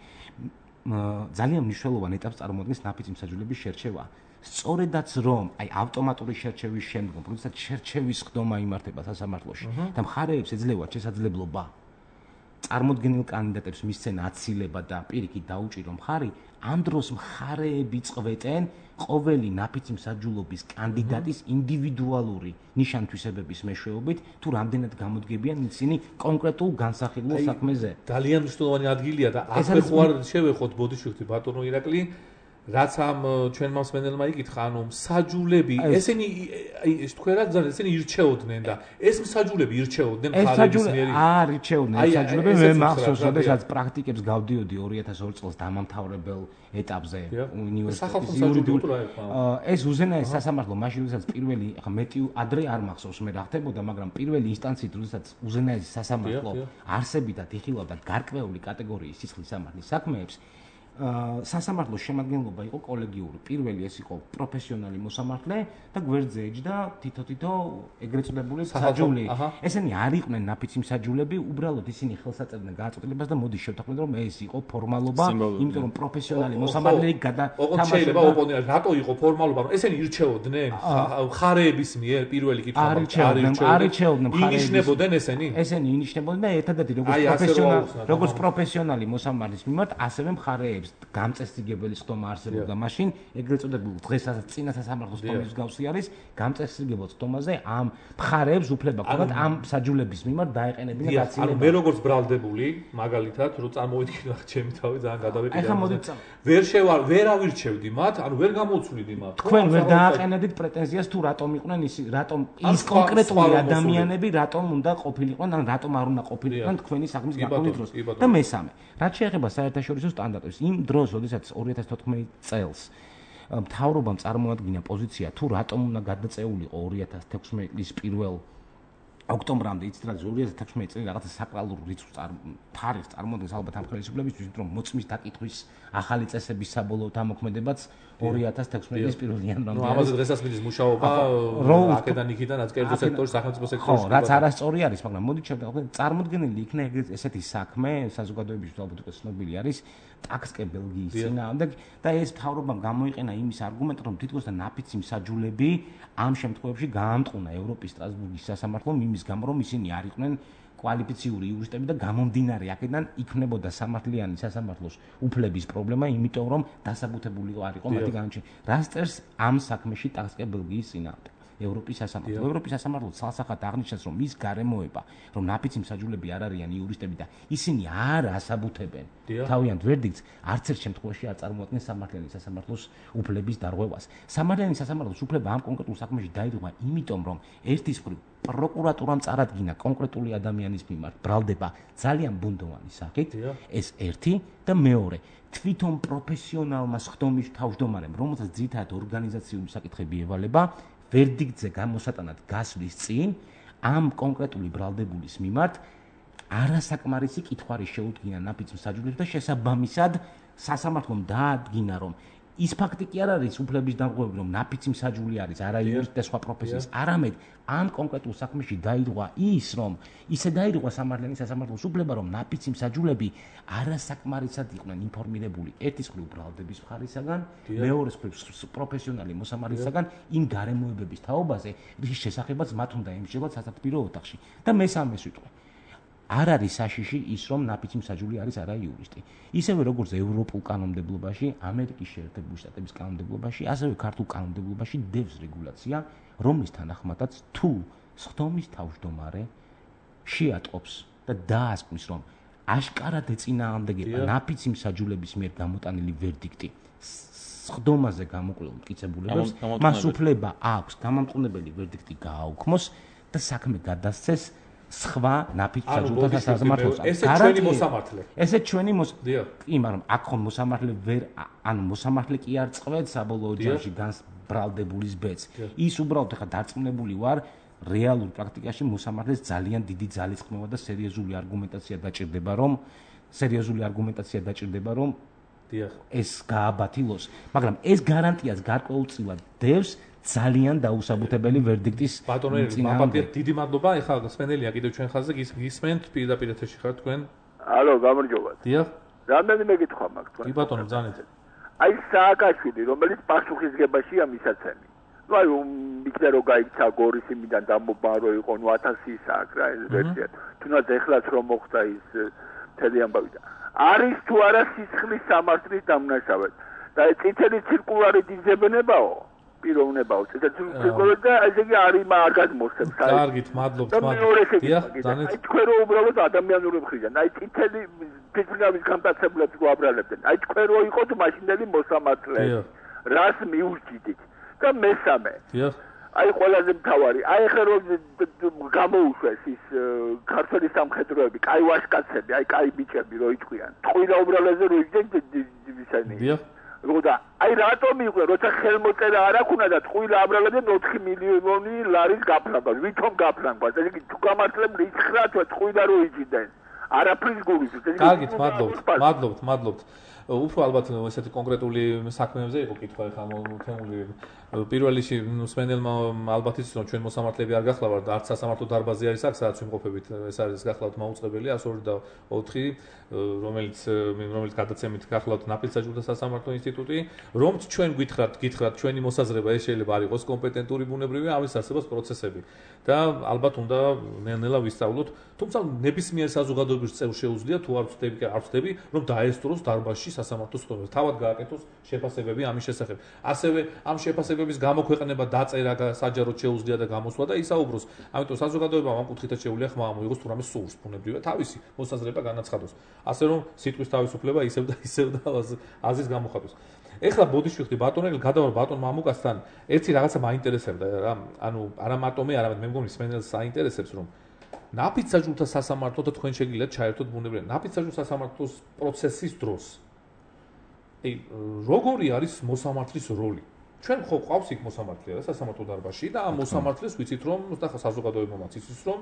ძალიან მნიშვნელოვან ეტაპს წარმოადგენს ნაფიცი მსაჯულების შერჩევა. სწორედაც რომ აი ავტომატური შერჩევის შემდგომ, როდესაც შერჩევის ხდომა იმართება სასამართლოში და მხარეებს ეძლევათ შესაძლებლობა წარმოდგენილ კანდიდატებს მისცენ აცილება და პირიქით დაუჭირო მხარი, ამ დროს მხარეები წყვეტენ ყოველი ნაფიცი მსაჯულობის კანდიდატის ინდივიდუალური ნიშან-თვისებების მეშვეობით, თუ რამდენად გამოდგებიან ისინი კონკრეტულ განსახილულ საქმეზე. ძალიან მნიშვნელოვანი ადგილია და აქვე ხوار შევეხოთ ბოდიშვილი ბატონო ირაკლი, რაც ამ ჩვენმა მსმენელმა იკითხა, ანუ მსაჯულები, ესენი თქვენ რა გზავნა, ესენი ირჩეოდნენ და ეს მსაჯულები ირჩეოდნენ მხარეების მიერ. ირჩეოდნენ მსაჯულები, მე მახსოვს, როდესაც პრაქტიკებს გავდიოდი 2002 წელს დამამთავრებელ ეტაპზე უნივერსიტეტის იურიდიულ. ეს უზენაეს სასამართლო მაშინ, როდესაც პირველი, ახლა მეტი ადრე არ მახსოვს მე რა ხდებოდა, მაგრამ პირველი ინსტანციით, როდესაც უზენაეს სასამართლო არსებითად იხილავდა გარკვეული კატეგორიის სისხლის სამართლის საქმეებს, სასამართლოს შემადგენლობა იყო კოლეგიური. პირველი ეს იყო პროფესიონალი მოსამართლე და გვერდზე ეჯდა თითო-თითო ეგრეთ წოდებული მსაჯული. ესენი არ იყვნენ ნაფიცი მსაჯულები, უბრალოდ ისინი ხელს აწევდნენ გააწყვეტილებას და მოდი შევთანხმდეთ, რომ ეს იყო ფორმალობა, იმიტომ რომ პროფესიონალი მოსამართლე თამაშობდა. შეიძლება ოპონენტი რატო იყო ფორმალობა? ესენი ირჩეოდნენ მხარეების მიერ პირველი კითხვა არ ირჩეოდნენ მხარეების. ინიშნებოდნენ ესენი? ესენი ინიშნებოდნენ და ერთადერთი როგორც პროფესიონალი მოსამართლის მიმართ, ასევე მხარეები გამწესრიგებელი ხდომა არსებობდა მაშინ ეგრეთ წოდებულ დღესაც წინა სასამართლოს ხდომის მსგავსი არის გამწესრიგებელ ხდომაზე ამ მხარეებს უფლება ჰქონდათ ამ მსაჯულების მიმართ დაეყენებინა გაცილება. ანუ მე როგორც ბრალდებული მაგალითად რომ წარმოვიდგინე ჩემი თავი ძალიან გადავეკიდე. ეხლა მოდით ვერ ავირჩევდი მათ, ანუ ვერ გამოვცვლიდი მათ. თქვენ ვერ დააყენებდით პრეტენზიას თუ რატომ იყვნენ რატომ ის კონკრეტული ადამიანები რატომ უნდა ყოფილიყვნენ ან რატომ არ უნდა ყოფილიყვნენ თქვენი საქმის გაყოლვის დროს. და მესამე, რაც შეეხება საერთაშორისო სტანდარტებს, იმ დროს, როდესაც 2014 წელს მთავრობამ წარმოადგინა პოზიცია თუ რატომ უნდა გადაწეულიყო 2016 წლის 1 ოქტომბრამდე, იცით რა 2016 წელი რაღაცა საკრალურ თარიღს წარმოადგენს ალბათ ამ ხელისუფლებისთვის, რომ მოწმის დაკითხვის ახალი წესების საბოლოო თამოქმედებაც 2016 წლის 1 იანვრამდე. ამაზე დღესაც მიდის მუშაობა აქედან იქიდან რაც კერძო სექტორის სახელმწიფო სექტორში. ხო, რაც არასწორი არის, მაგრამ მოდით შევდივართ, წარმოდგენილი იქნა ესეთი საქმე, საზოგადოებისთვის ალბათ უკვე ცნობილი არის, ტაქსკე ბელგიის წინააღმდეგ და ეს მთავრობამ გამოიყენა იმის არგუმენტი, რომ თითქოს და ნაფიცი მსაჯულები ამ შემთხვევებში გაამტყუნა ევროპის სტრასბურგის სასამართლომ იმ იმის გამო რომ ისინი არ იყვნენ კვალიფიციური იურისტები და გამომდინარე აქედან იქნებოდა სამართლიანი სასამართლოს უფლების პრობლემა, იმიტომ რომ დასაბუთებული არ იყო მათი განაჩენი. რას წერს ამ საქმეში ტასკე ბელგიის წინააღმდეგ? ევროპის სასამართლო. ევროპის სასამართლო ცალსახად აღნიშნავს, რომ მის გარემოება, რომ ნაფიცი მსაჯულები არ არიან იურისტები და ისინი არ ასაბუთებენ თავიანთ ვერდიქტს, არც ერთ შემთხვევაში არ წარმოადგენს სამართლიანი სასამართლოს უფლების დარღვევას. სამართლიანი სასამართლოს უფლება ამ კონკრეტულ საქმეში დაიდროვა, იმიტომ რომ ერთის მხრივ პროკურატურამ წარადგინა კონკრეტული ადამიანის მიმართ ბრალდება ძალიან ბუნდოვანი სახით, ეს ერთი და მეორე თვითონ პროფესიონალმა სხდომის თავმჯდომარემ, რომელსაც ძირითადად ორგანიზაციული საკითხები ევალება, ვერდიქტზე გამოსატანად გასვლის წინ ამ კონკრეტული ბრალდებულის მიმართ არასაკმარისი კითხვარი შეუდგინა ნაფიც მსაჯულებს და შესაბამისად სასამართლომ დაადგინა, რომ ის ფაქტი კი არ არის უფლების დარღვევები, რომ ნაფიცი მსაჯული არის არა იურისტი და სხვა პროფესიის, არამედ ამ კონკრეტულ საქმეში დაირღვა ის, რომ ისე დაირღვა სამართლიანი სასამართლოს უფლება, რომ ნაფიცი მსაჯულები არასაკმარისად იყვნენ ინფორმირებული ერთის მხრივ ბრალდების მხარისაგან, მეორეს მხრივ პროფესიონალი მოსამართლისაგან იმ გარემოებების თაობაზე, რის შესახებაც მათ უნდა ემსჯელოთ სასათბირო ოთახში. და მესამეს ვიტყვი. არ არის საშიში ის, რომ ნაფიცი მსაჯული არის არა იურისტი. ისევე როგორც ევროპულ კანონმდებლობაში, ამერიკის შეერთებული შტატების კანონმდებლობაში, ასევე ქართულ კანონმდებლობაში დევს რეგულაცია, რომლის თანახმადაც თუ სხდომის თავმჯდომარე შეატყობს და დაასკვნის, რომ აშკარად ეწინააღმდეგება ნაფიცი მსაჯულების მიერ გამოტანილი ვერდიქტი სხდომაზე გამოკვლეულ მტკიცებულებებს, მას უფლება აქვს გამამტყუნებელი ვერდიქტი გააუქმოს და საქმე გადასცეს სხვა ნაფიც მსაჯულთა სასამართლოს. ესე ჩვენი მოსამართლე. ესე ჩვენი კი, მაგრამ აქ ხომ მოსამართლე ვერ, ანუ მოსამართლე კი არ წყვეტს საბოლოო ჯამში განს ბრალდებულის ბედს. ის უბრალოდ ხა დარწმუნებული ვარ, რეალურ პრაქტიკაში მოსამართლეს ძალიან დიდი ძალისხმევა და სერიოზული არგუმენტაცია დაჭირდება, რომ ეს გააბათილოს, მაგრამ ეს გარანტიას გარკვეულწილად დევს ძალიან დაუსაბუთებელი ვერდიქტის წინააღმდეგ. დიდი მადლობა. ეხლა სპენელია კიდევ ჩვენ ხაზზე გისმენთ პირდაპირ ეთერში ხართ თქვენ. ალო, გამარჯობათ. დიახ. რამდენიმე კითხვა მაქვს თქვენ. კი ბატონო, ბრძანეთ. აი სააკაშვილი, რომელიც პასუხისგებაშია მისაცემი. ნუ აი მიქნა რო გაიქცა გორის იმიდან დამობარო იყო, ნუ 1000 აქ რა ეს ვერსია. თუნდაც ეხლაც რომ მოხდა ის მთელი ამბავი და არის თუ არა სისხლის სამართლის დამნაშავე. და წითელი ცირკულარი დიზებნებაო. პიროვნებაო ცირკულარი და ესე იგი არის არ გადმოსცემს. კარგით, მადლობთ. დიახ, ბრძანეთ. აი თქვენ რო უბრალოდ ადამიანური მხრიდან, აი წითელი ფიზიკალის გამტაცებლებს გვაბრალებდნენ. აი თქვენ რო იყოთ მაშინდელი მოსამართლე. რას მიურჩიდით? და მესამე. დიახ. აი ყველაზე მთავარი, აი ხე რომ გამოუშვეს ის ქართული სამხედროები, კაი ვაჟკაცები, აი კაი ბიჭები რო იტყვიან. ტყუილა უბრალოზე რო იჯდნენ ისინი. დიახ. როდა აი რატომ იყვნენ, როცა ხელმოწერა არ აქვს და ტყუილა აბრალებდნენ 4 მილიონი ლარის გაფრანგას. ვითომ გაფრანგას? ესე იგი თუ გამართლებული 9 თვე ტყუილა რო იჯდნენ. არაფრის გულის. კარგით, მადლობთ. უფრო ალბათ ესეთი კონკრეტული საქმეებზე იყო კითხვა ხა თემული პირველ რიგში სპენელმა ალბათ ის რომ ჩვენ მოსამართლეები არ გახლავართ არც სასამართლო დარბაზი არის აქ სადაც ვიმყოფებით ეს არის გახლავთ მაუწყებელი 102 და 4 რომელიც გადაცემით გახლავთ ნაფიცსაჯულთა სასამართლო ინსტიტუტი რომც ჩვენ გითხრათ ჩვენი მოსაზრება ეს შეიძლება არ იყოს კომპეტენტური ბუნებრივი ამის არსებობს პროცესები და ალბათ უნდა ნელ-ნელა ვისწავლოთ თუმცა ნებისმიერ საზოგადოების წევრს შეუძლია თუ არ ვწდები რომ დაესწროს დარბაზში სასამართლო სხდომებს თავად გააკეთოს შეფასებები ამის შესახებ ასევე ამ შეფასებების გამოქვეყნება დაწერა საჯაროდ შეუძლია და გამოსვლა და ისაუბროს ამიტომ საზოგადოებამ ამ კუთხითაც შეუძლია ხმა ამოიღოს თუ რამე სურს ბუნებრივია თავისი მოსაზრება განაცხადოს ასე რომ სიტყვის თავისუფლება ისევ და აზრის გამოხატვის ეხლა ბოდიშვიხდი ბატონელი გადავარ ბატონ მამუკასთან ერთი რაღაცა მაინტერესებდა რა ანუ არა მარტომე არამედ მე მგონი სპენელს საინტერესებს რომ ნაფიცსაჯულთა სასამართლო და თქვენ შეგიძლიათ ჩაერთოთ ბუნებრივია ნაფიცსაჯულთა სასამართლოს პროცესის დროს როგორი არის მოსამართლის როლი? ჩვენ ხო ყავს იქ მოსამართლე რა სასამართლო დარბაზში და ამ მოსამართლეს ვიცით რომ და საზოგადოებამაც იცის რომ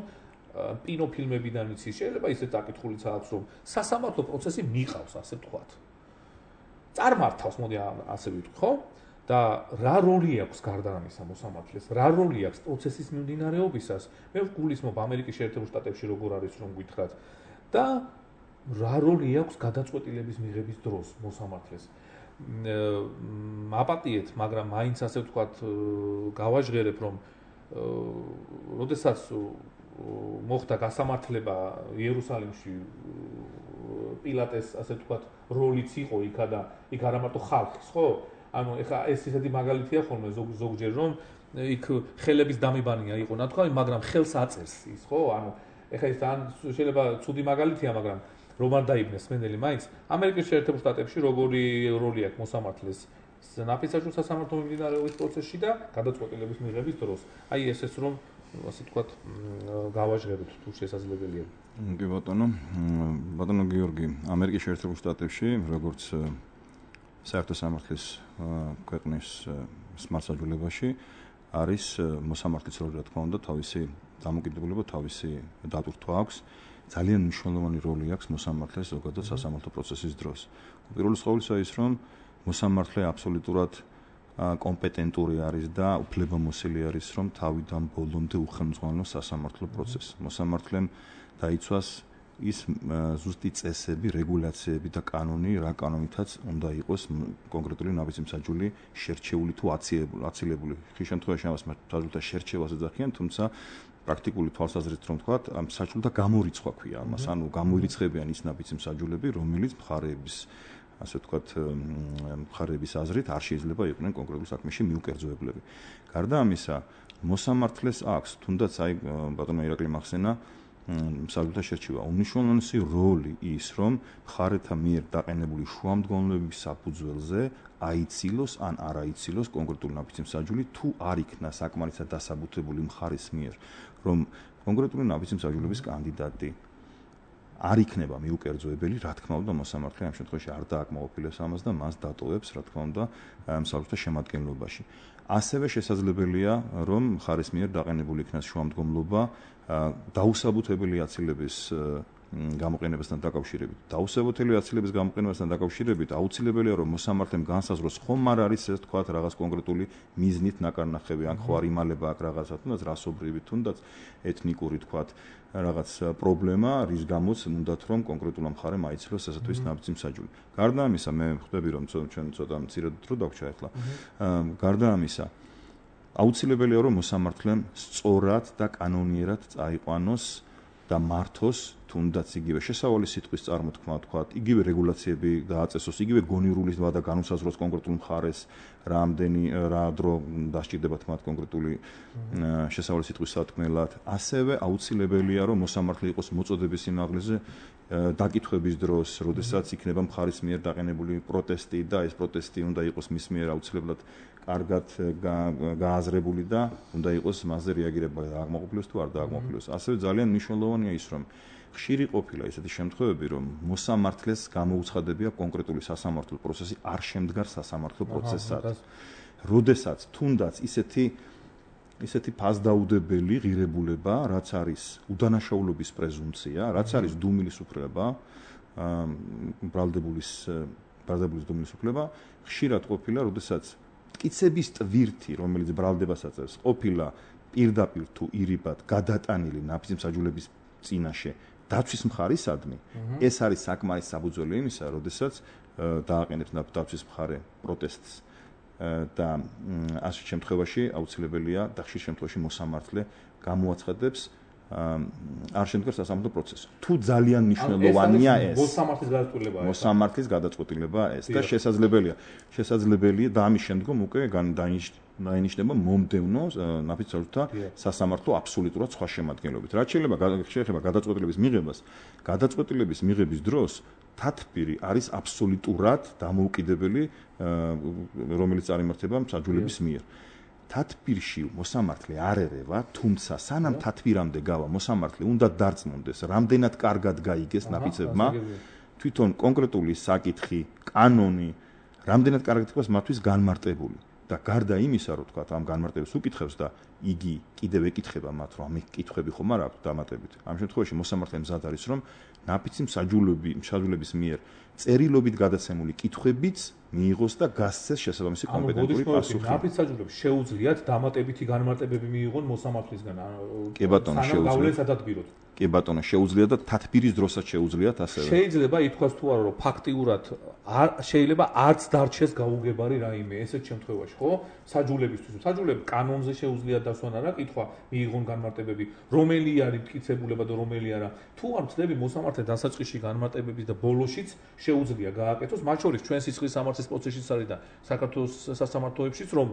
კინოფილმებიდან იცის შეიძლება ისეთ საკითხულიც აქვს რომ სასამართლო პროცესი მიყავს ასე ვთქვათ. წარმართავს მოდი ასე ვიტყვი ხო? და რა როლი აქვს გარდა ამისა მოსამართლეს? რა როლი აქვს პროცესის მიმდინარეობისას? მე ვგულისხმობ ამერიკის შეერთებულ შტატებში როგორ არის რომ გითხრათ და რა როლი აქვს გადაწყვეტილების მიღების დროს მოსამართლეს? აპატიეთ, მაგრამ მაინც ასე ვთქვათ, გავაჟღერებ, რომ როდესაც მოხდა გასამართლება იერუსალიმში პილატეს ასე ვთქვათ როლიც იყო იქა და იქ არა მარტო ხალხის ხო ანუ ეხა ეს ისეთი მაგალითია ხოლმე ზოგჯერ რომ იქ ხელების დამიბანია იყო ნათქვამი მაგრამ ხელს აწერს ის ხო ანუ ეხა ეს ან შეიძლება ცუდი მაგალითია მაგრამ რომ არ დაიბნეს მენელი მაინც ამერიკის შეერთებულ შტატებში როგორი როლი აქვს მოსამართლეს ნაფიცაჟულ სასამართლო მიმდინარეობის პროცესში და გადაწყვეტილების მიღების დროს აი ესეც რომ ასე ვთქვათ გავაჟღეროთ თუ შესაძლებელია კი ბატონო გიორგი ამერიკის შეერთებულ შტატებში როგორც საერთო სამართლის ქვეყნის სმარტსაჯულებაში არის მოსამართლის როლი რა თქმა უნდა თავისი დამოკიდებულება თავისი დატვირთვა აქვს ძალიან მნიშვნელოვანი როლი აქვს მოსამართლეს ზოგადად სასამართლო პროცესის დროს პირველ ყოვლისა ის რომ მოსამართლე აბსოლუტურად კომპეტენტური არის და უფლებამოსილი არის რომ თავიდან ბოლომდე უხელმძღვანელოს სასამართლო პროცესს მოსამართლემ დაიცვას ის ზუსტი წესები, რეგულაციები და კანონი, რა კანონითაც უნდა იყოს კონკრეტული ნაბიჯმსაჯული შერჩეული თუ აცილებული. ხშირ შემთხვევაში ამას მსაჯულთა შერჩევას ეძახიან, თუმცა პრაქტიკული თვალსაზრისით რომ ვთქვათ, ამ მსაჯულთა გამორიცხვა ქვია ამას, ანუ გამოირიცხებიან ის ნაბიჯმსაჯულები, რომელიც მხარეების ასე ვთქვათ, მხარეების აზრით არ შეიძლება იყვნენ კონკრეტულ საქმეში მიუკერძოებლები. გარდა ამისა, მოსამართლეს აქვს, თუნდაც აი ბატონო ირაკლი მახსენა მსაჯულთა შერჩევა. უნიშნულოვანესი როლი ის, რომ მხარეთა მიერ დაყენებული შუამდგომლობების საფუძველზე აიცილოს ან არ აიცილოს კონკრეტული ნაბიჯმსაჯული, თუ არ იქნა საკმარისად დასაბუთებული მხარის მიერ, რომ კონკრეტული ნაბიჯმსაჯულების კანდიდატი არ იქნება მიუკერძოებელი, რა თქმა უნდა, მოსამართლე ამ შემთხვევაში არ დააკმაყოფილებს ამას და მას დატოვებს, რა თქმა უნდა, მსაჯულთა შემადგენლობაში. ასევე შესაძლებელია, რომ მხარის მიერ დაყენებული იქნას შუამდგომლობა დაუსაბუთებელი აცილების გამოყენებასთან დაკავშირებით. დაუსაბუთებელი აცილების გამოყენებასთან დაკავშირებით აუცილებელია, რომ მოსამართლემ განსაზღვროს ხომ არ არის ეს თქვათ რაღაც კონკრეტული მიზნით ნაკარნახები, ან ხო არ იმალება აქ რაღაცა, თუნდაც რასობრივი, თუნდაც ეთნიკური თქვათ რაღაც პრობლემა, რის გამოც უნდათ რომ კონკრეტულ მხარემ აიცილოს ესათვის ნაბიჯმსაჯული. გარდა ამისა, მე ხვდები რომ ჩვენ ცოტა მცირედ დრო დაგვჭა ახლა. გარდა ამისა, აუცილებელია რომ მოსამართლემ სწორად და კანონიერად წაიყვანოს და მართოს თუნდაც იგივე შესავალი სიტყვის წარმოთქმა თქვათ, იგივე რეგულაციები დააწესოს, იგივე გონივრული ვადა განუსაზღვროს კონკრეტულ მხარეს, რა დრო დასჭირდება თმათ კონკრეტული შესავალი სიტყვის სათქმელად. ასევე აუცილებელია რომ მოსამართლე იყოს მოწოდების სიმაღლეზე დაკითხვების დროს, როდესაც იქნება მხარის მიერ დაყენებული პროტესტი და ეს პროტესტი უნდა იყოს მის მიერ აუცილებლად კარგად გააზრებული და უნდა იყოს მასზე რეაგირება დააკმაყოფილოს თუ არ დააკმაყოფილოს. ასევე ძალიან მნიშვნელოვანია ის, რომ ხშირი ყოფილა ისეთი შემთხვევები, რომ მოსამართლეს გამოუცხადებია კონკრეტული სასამართლო პროცესი არ შემდგარ სასამართლო პროცესად. როდესაც თუნდაც ისეთი ფასდაუდებელი ღირებულება, რაც არის უდანაშაულობის პრეზუმპცია, რაც არის დუმილის უფლება, ბრალდებულის დუმილის უფლება, ხშირად ყოფილა, როდესაც მტკიცების ტვირთი, რომელიც ბრალდებას აწევს, ყოფილა პირდაპირ თუ ირიბად გადატანილი ნაბიჯმსაჯულების წინაშე დაცვის მხარისადმი, ეს არის საკმარის საფუძველი იმისა, როდესაც დააყენებს დაცვის მხარე პროტესტს და ასეთ შემთხვევაში აუცილებელია და ხშირ შემთხვევაში მოსამართლე გამოაცხადებს არ შემდგარ სასამართლო პროცესს. თუ ძალიან მნიშვნელოვანია ეს მოსამართლის გადაწყვეტილება ეს და შესაძლებელია და ამის შემდგომ უკვე დაინიშნება მომდევნო ნაფიცაჟთა სასამართლო აბსოლუტურად სხვა შემადგენლობით. რაც შეიძლება გადაწყვეტილების მიღებას, გადაწყვეტილების მიღების დროს თათბირი არის აბსოლუტურად დამოუკიდებელი, რომელიც წარიმართება მსაჯულების მიერ. თათბირში მოსამართლე არ ერევა, თუმცა სანამ თათბირამდე გავა მოსამართლე უნდა დარწმუნდეს, რამდენად კარგად გაიგეს ნაფიცებმა, თვითონ კონკრეტული საკითხი, კანონი, რამდენად კარგად იყოს მათთვის განმარტებული. და გარდა იმისა, რომ თქვა ამ განმარტებას უკითხებს და იგი კიდევ ეკითხება მათ, რომ ამ კითხვები ხომ არ აქვს დამატებით. ამ შემთხვევაში მოსამართლე მზად არის, რომ ნაბიჯმსაჯულების მიერ წერილობით გადაცემული კითხვებიც მიიღოს და გასცეს შესაბამისი კომპეტენტური პასუხი. ნაბიჯმსაჯულებს შეუძლიათ დამატებითი განმარტებები მიიღონ მოსამართლისგან. კი ბატონო, შეუძლიათ. კი ბატონო, შეუძლიათ და თათბირის დროსაც შეუძლიათ ასევე. შეიძლება ითქვას თუ არა, რომ ფაქტიურად შეიძლება არც დარჩეს გაუგებარი რაიმე ესეთ შემთხვევაში, ხო? საჯულებისთვის. საჯულები კანონზე შეუძლიათ ჩასვან არა, კითხვა მიიღონ განმარტებები, რომელი არის მტკიცებულება და რომელი არა. თუ არ მწდები მოსამართლე დასაწყისში განმარტებების და ბოლოშიც შეუძლია გააკეთოს, მათ შორის ჩვენ სისხლის სამართლის პროცესშიც არის და საქართველოს სასამართლოებშიც, რომ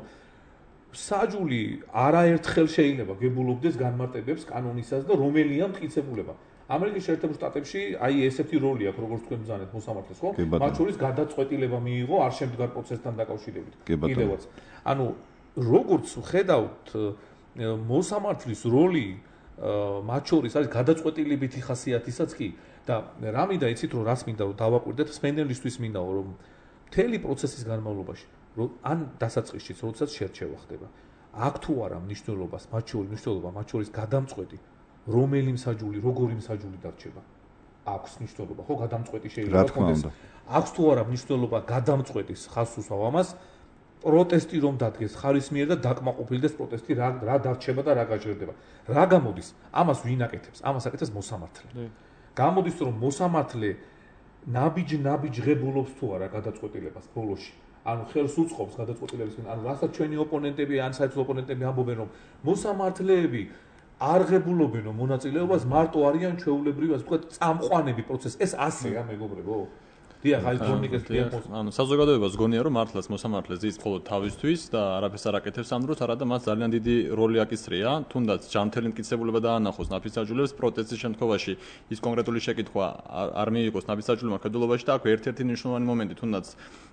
საჯული არაერთხელ შეიძლება გებულობდეს განმარტებებს კანონისას და რომელია მტკიცებულება. ამერიკის შეერთებულ შტატებში აი ესეთი როლი აქვს, როგორც თქვენ ბრძანეთ მოსამართლეს, ხო? მათ შორის გადაწყვეტილება მიიღო არ შემდგარ პროცესთან დაკავშირებით. კიდევაც. ანუ როგორც ხედავთ მოსამართლის როლი მათ შორის არის გადაწყვეტილებითი ხასიათისაც კი და რა მინდა იცით რომ რას მინდა რომ დავაკვირდეთ სპენდელისთვის მინდა რომ მთელი პროცესის განმავლობაში ან დასაწყისშიც როდესაც შერჩევა ხდება აქ თუ არა მნიშვნელობას მათ შორის გადამწყვეტი რომელი მსაჯული როგორი მსაჯული დარჩება აქვს მნიშვნელობა ხო გადამწყვეტი შეიძლება კონდეს აქვს თუ არა მნიშვნელობა გადამწყვეტის ხაზს უსვავ ამას პროტესტი რომ დადგეს ხარისმიერ და დაკმაყოფილდეს პროტესტი რა დარჩება და რა გაჟღერდება რა გამოდის ამას ვინ აკეთებს ამას აკეთებს მოსამართლე გამოდის რომ მოსამართლე ნაბიჯ ღებულობს თუ არა გადაწყვეტილებას ბოლოში ანუ ხელს უწყობს გადაწყვეტილებისგან ანუ რასაც ჩვენი ოპონენტები ან საერთო ოპონენტები ამბობენ რომ მოსამართლეები არ ღებულობენ მონაწილეობას მარტო არიან ჩვეულებრივი ასე ვთქვათ წამყვანები პროცესს ეს ასეა მეგობრებო დიახ აი თორნიკეს დიახ ანუ საზოგადოებას გონია რომ მართლაც მოსამართლე ზის მხოლოდ თავისთვის და არაფერს არ აკეთებს ამ დროს არადა მას ძალიან დიდი როლი აკისრია თუნდაც ჯანმრთელი მტკიცებულება დაანახოს ნაფისაჯულებს პროტესტის შემთხვევაში ის კონკრეტული შეკითხვა არ მიიღოს ნაფისაჯულებმა ხედულობაში და აქვე ერთ-ერთი მნიშვნელოვანი მომენტი თუნდაც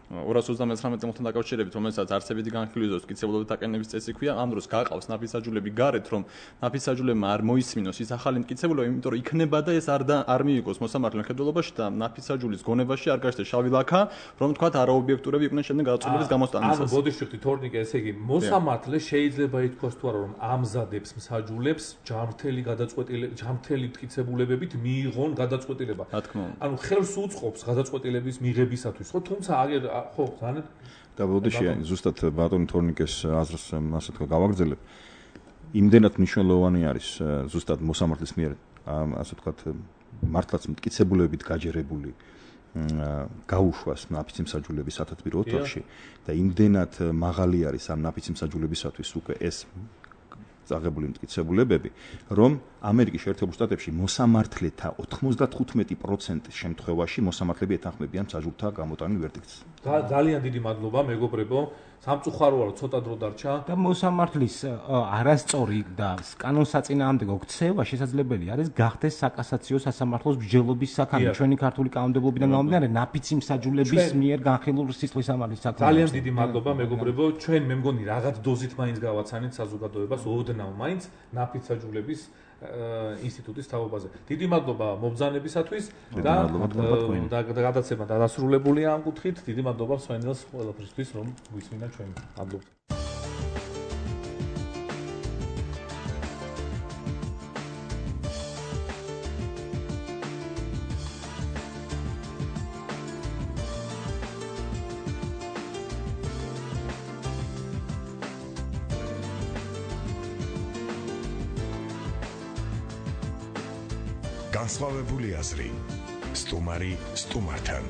239 წელთან დაკავშირებით რომელსაც არსებითი განხილვის მტკიცებულებით აკენების წესი ქვია ამ დროს გაყავს ნაფისაჯულები გარეთ რომ ნაფისაჯულებმა არ მოისმინოს ის ახალი მტკიცებულება იმიტომ რომ იქნება და ეს არ მიიღოს მოსამართლემ ხედულობაში და ნაფისაჯულის გონებაში არ გაჩნდეს შავი ლაქა, რომ თქვათ არაობიექტურები იყვნენ შემდეგ გადაწყვეტილების გამოსტანისას. ანუ ბოდიშვიხტი თორნიკე, ესე იგი, მოსამართლე შეიძლება ითქვას თუ არა, რომ ამზადებს მსაჯულებს ჯანმრთელი მტკიცებულებებით მიიღონ გადაწყვეტილება. რა თქმა უნდა. ანუ ხელს უწყობს გადაწყვეტილების მიღებისათვის, ხო? თუმცა ხო, ზანეთ და ბოდიში ზუსტად ბატონი თორნიკეს აზრს ასე თქვა გავაგრძელებ. იმდენად მნიშვნელოვანი არის ზუსტად მოსამართლის მიერ ასე ვთქვათ მართლაც მტკიცებულებით გაჯერებული გაუშვას ნაფიცი მსაჯულების სათათბირო ოთახში და იმდენად მაღალი არის ამ ნაფიცი მსაჯულებისათვის უკვე ეს წაღებული მტკიცებულებები რომ ამერიკის შეერთებულ შტატებში მოსამართლეთა 95% შემთხვევაში მოსამართლეები ეთანხმებიან მსაჯულთა გამოტანილ ვერდიქტს. ძალიან დიდი მადლობა მეგობრებო სამწუხაროა რომ ცოტა დრო დარჩა და მოსამართლის არასწორი და კანონსაწინააღმდეგო ქცევა შესაძლებელი არის გახდეს საკასაციო სასამართლოს მსჯელობის საქმე ჩვენი ქართული კანონმდებლობიდან გამომდინარე ნაფიცი მსაჯულების მიერ განხილულ სისხლის სამართლის საქმე. ძალიან დიდი მადლობა მეგობრებო ჩვენ მე მგონი რაღაც დოზით მაინც გავაცანით საზოგადოებას ოდნავ მაინც ნაფიც მსაჯულების ინსტიტუტის თაობაზე. დიდი მადლობა მობრძანებისათვის და გადაცემა დასრულებულია ამ კუთხით. დიდი მადლობა მსმენელს ყველაფრისთვის რომ გვისმინა ჩვენ. მადლობა. განსხვავებული აზრი სტუმარი სტუმართან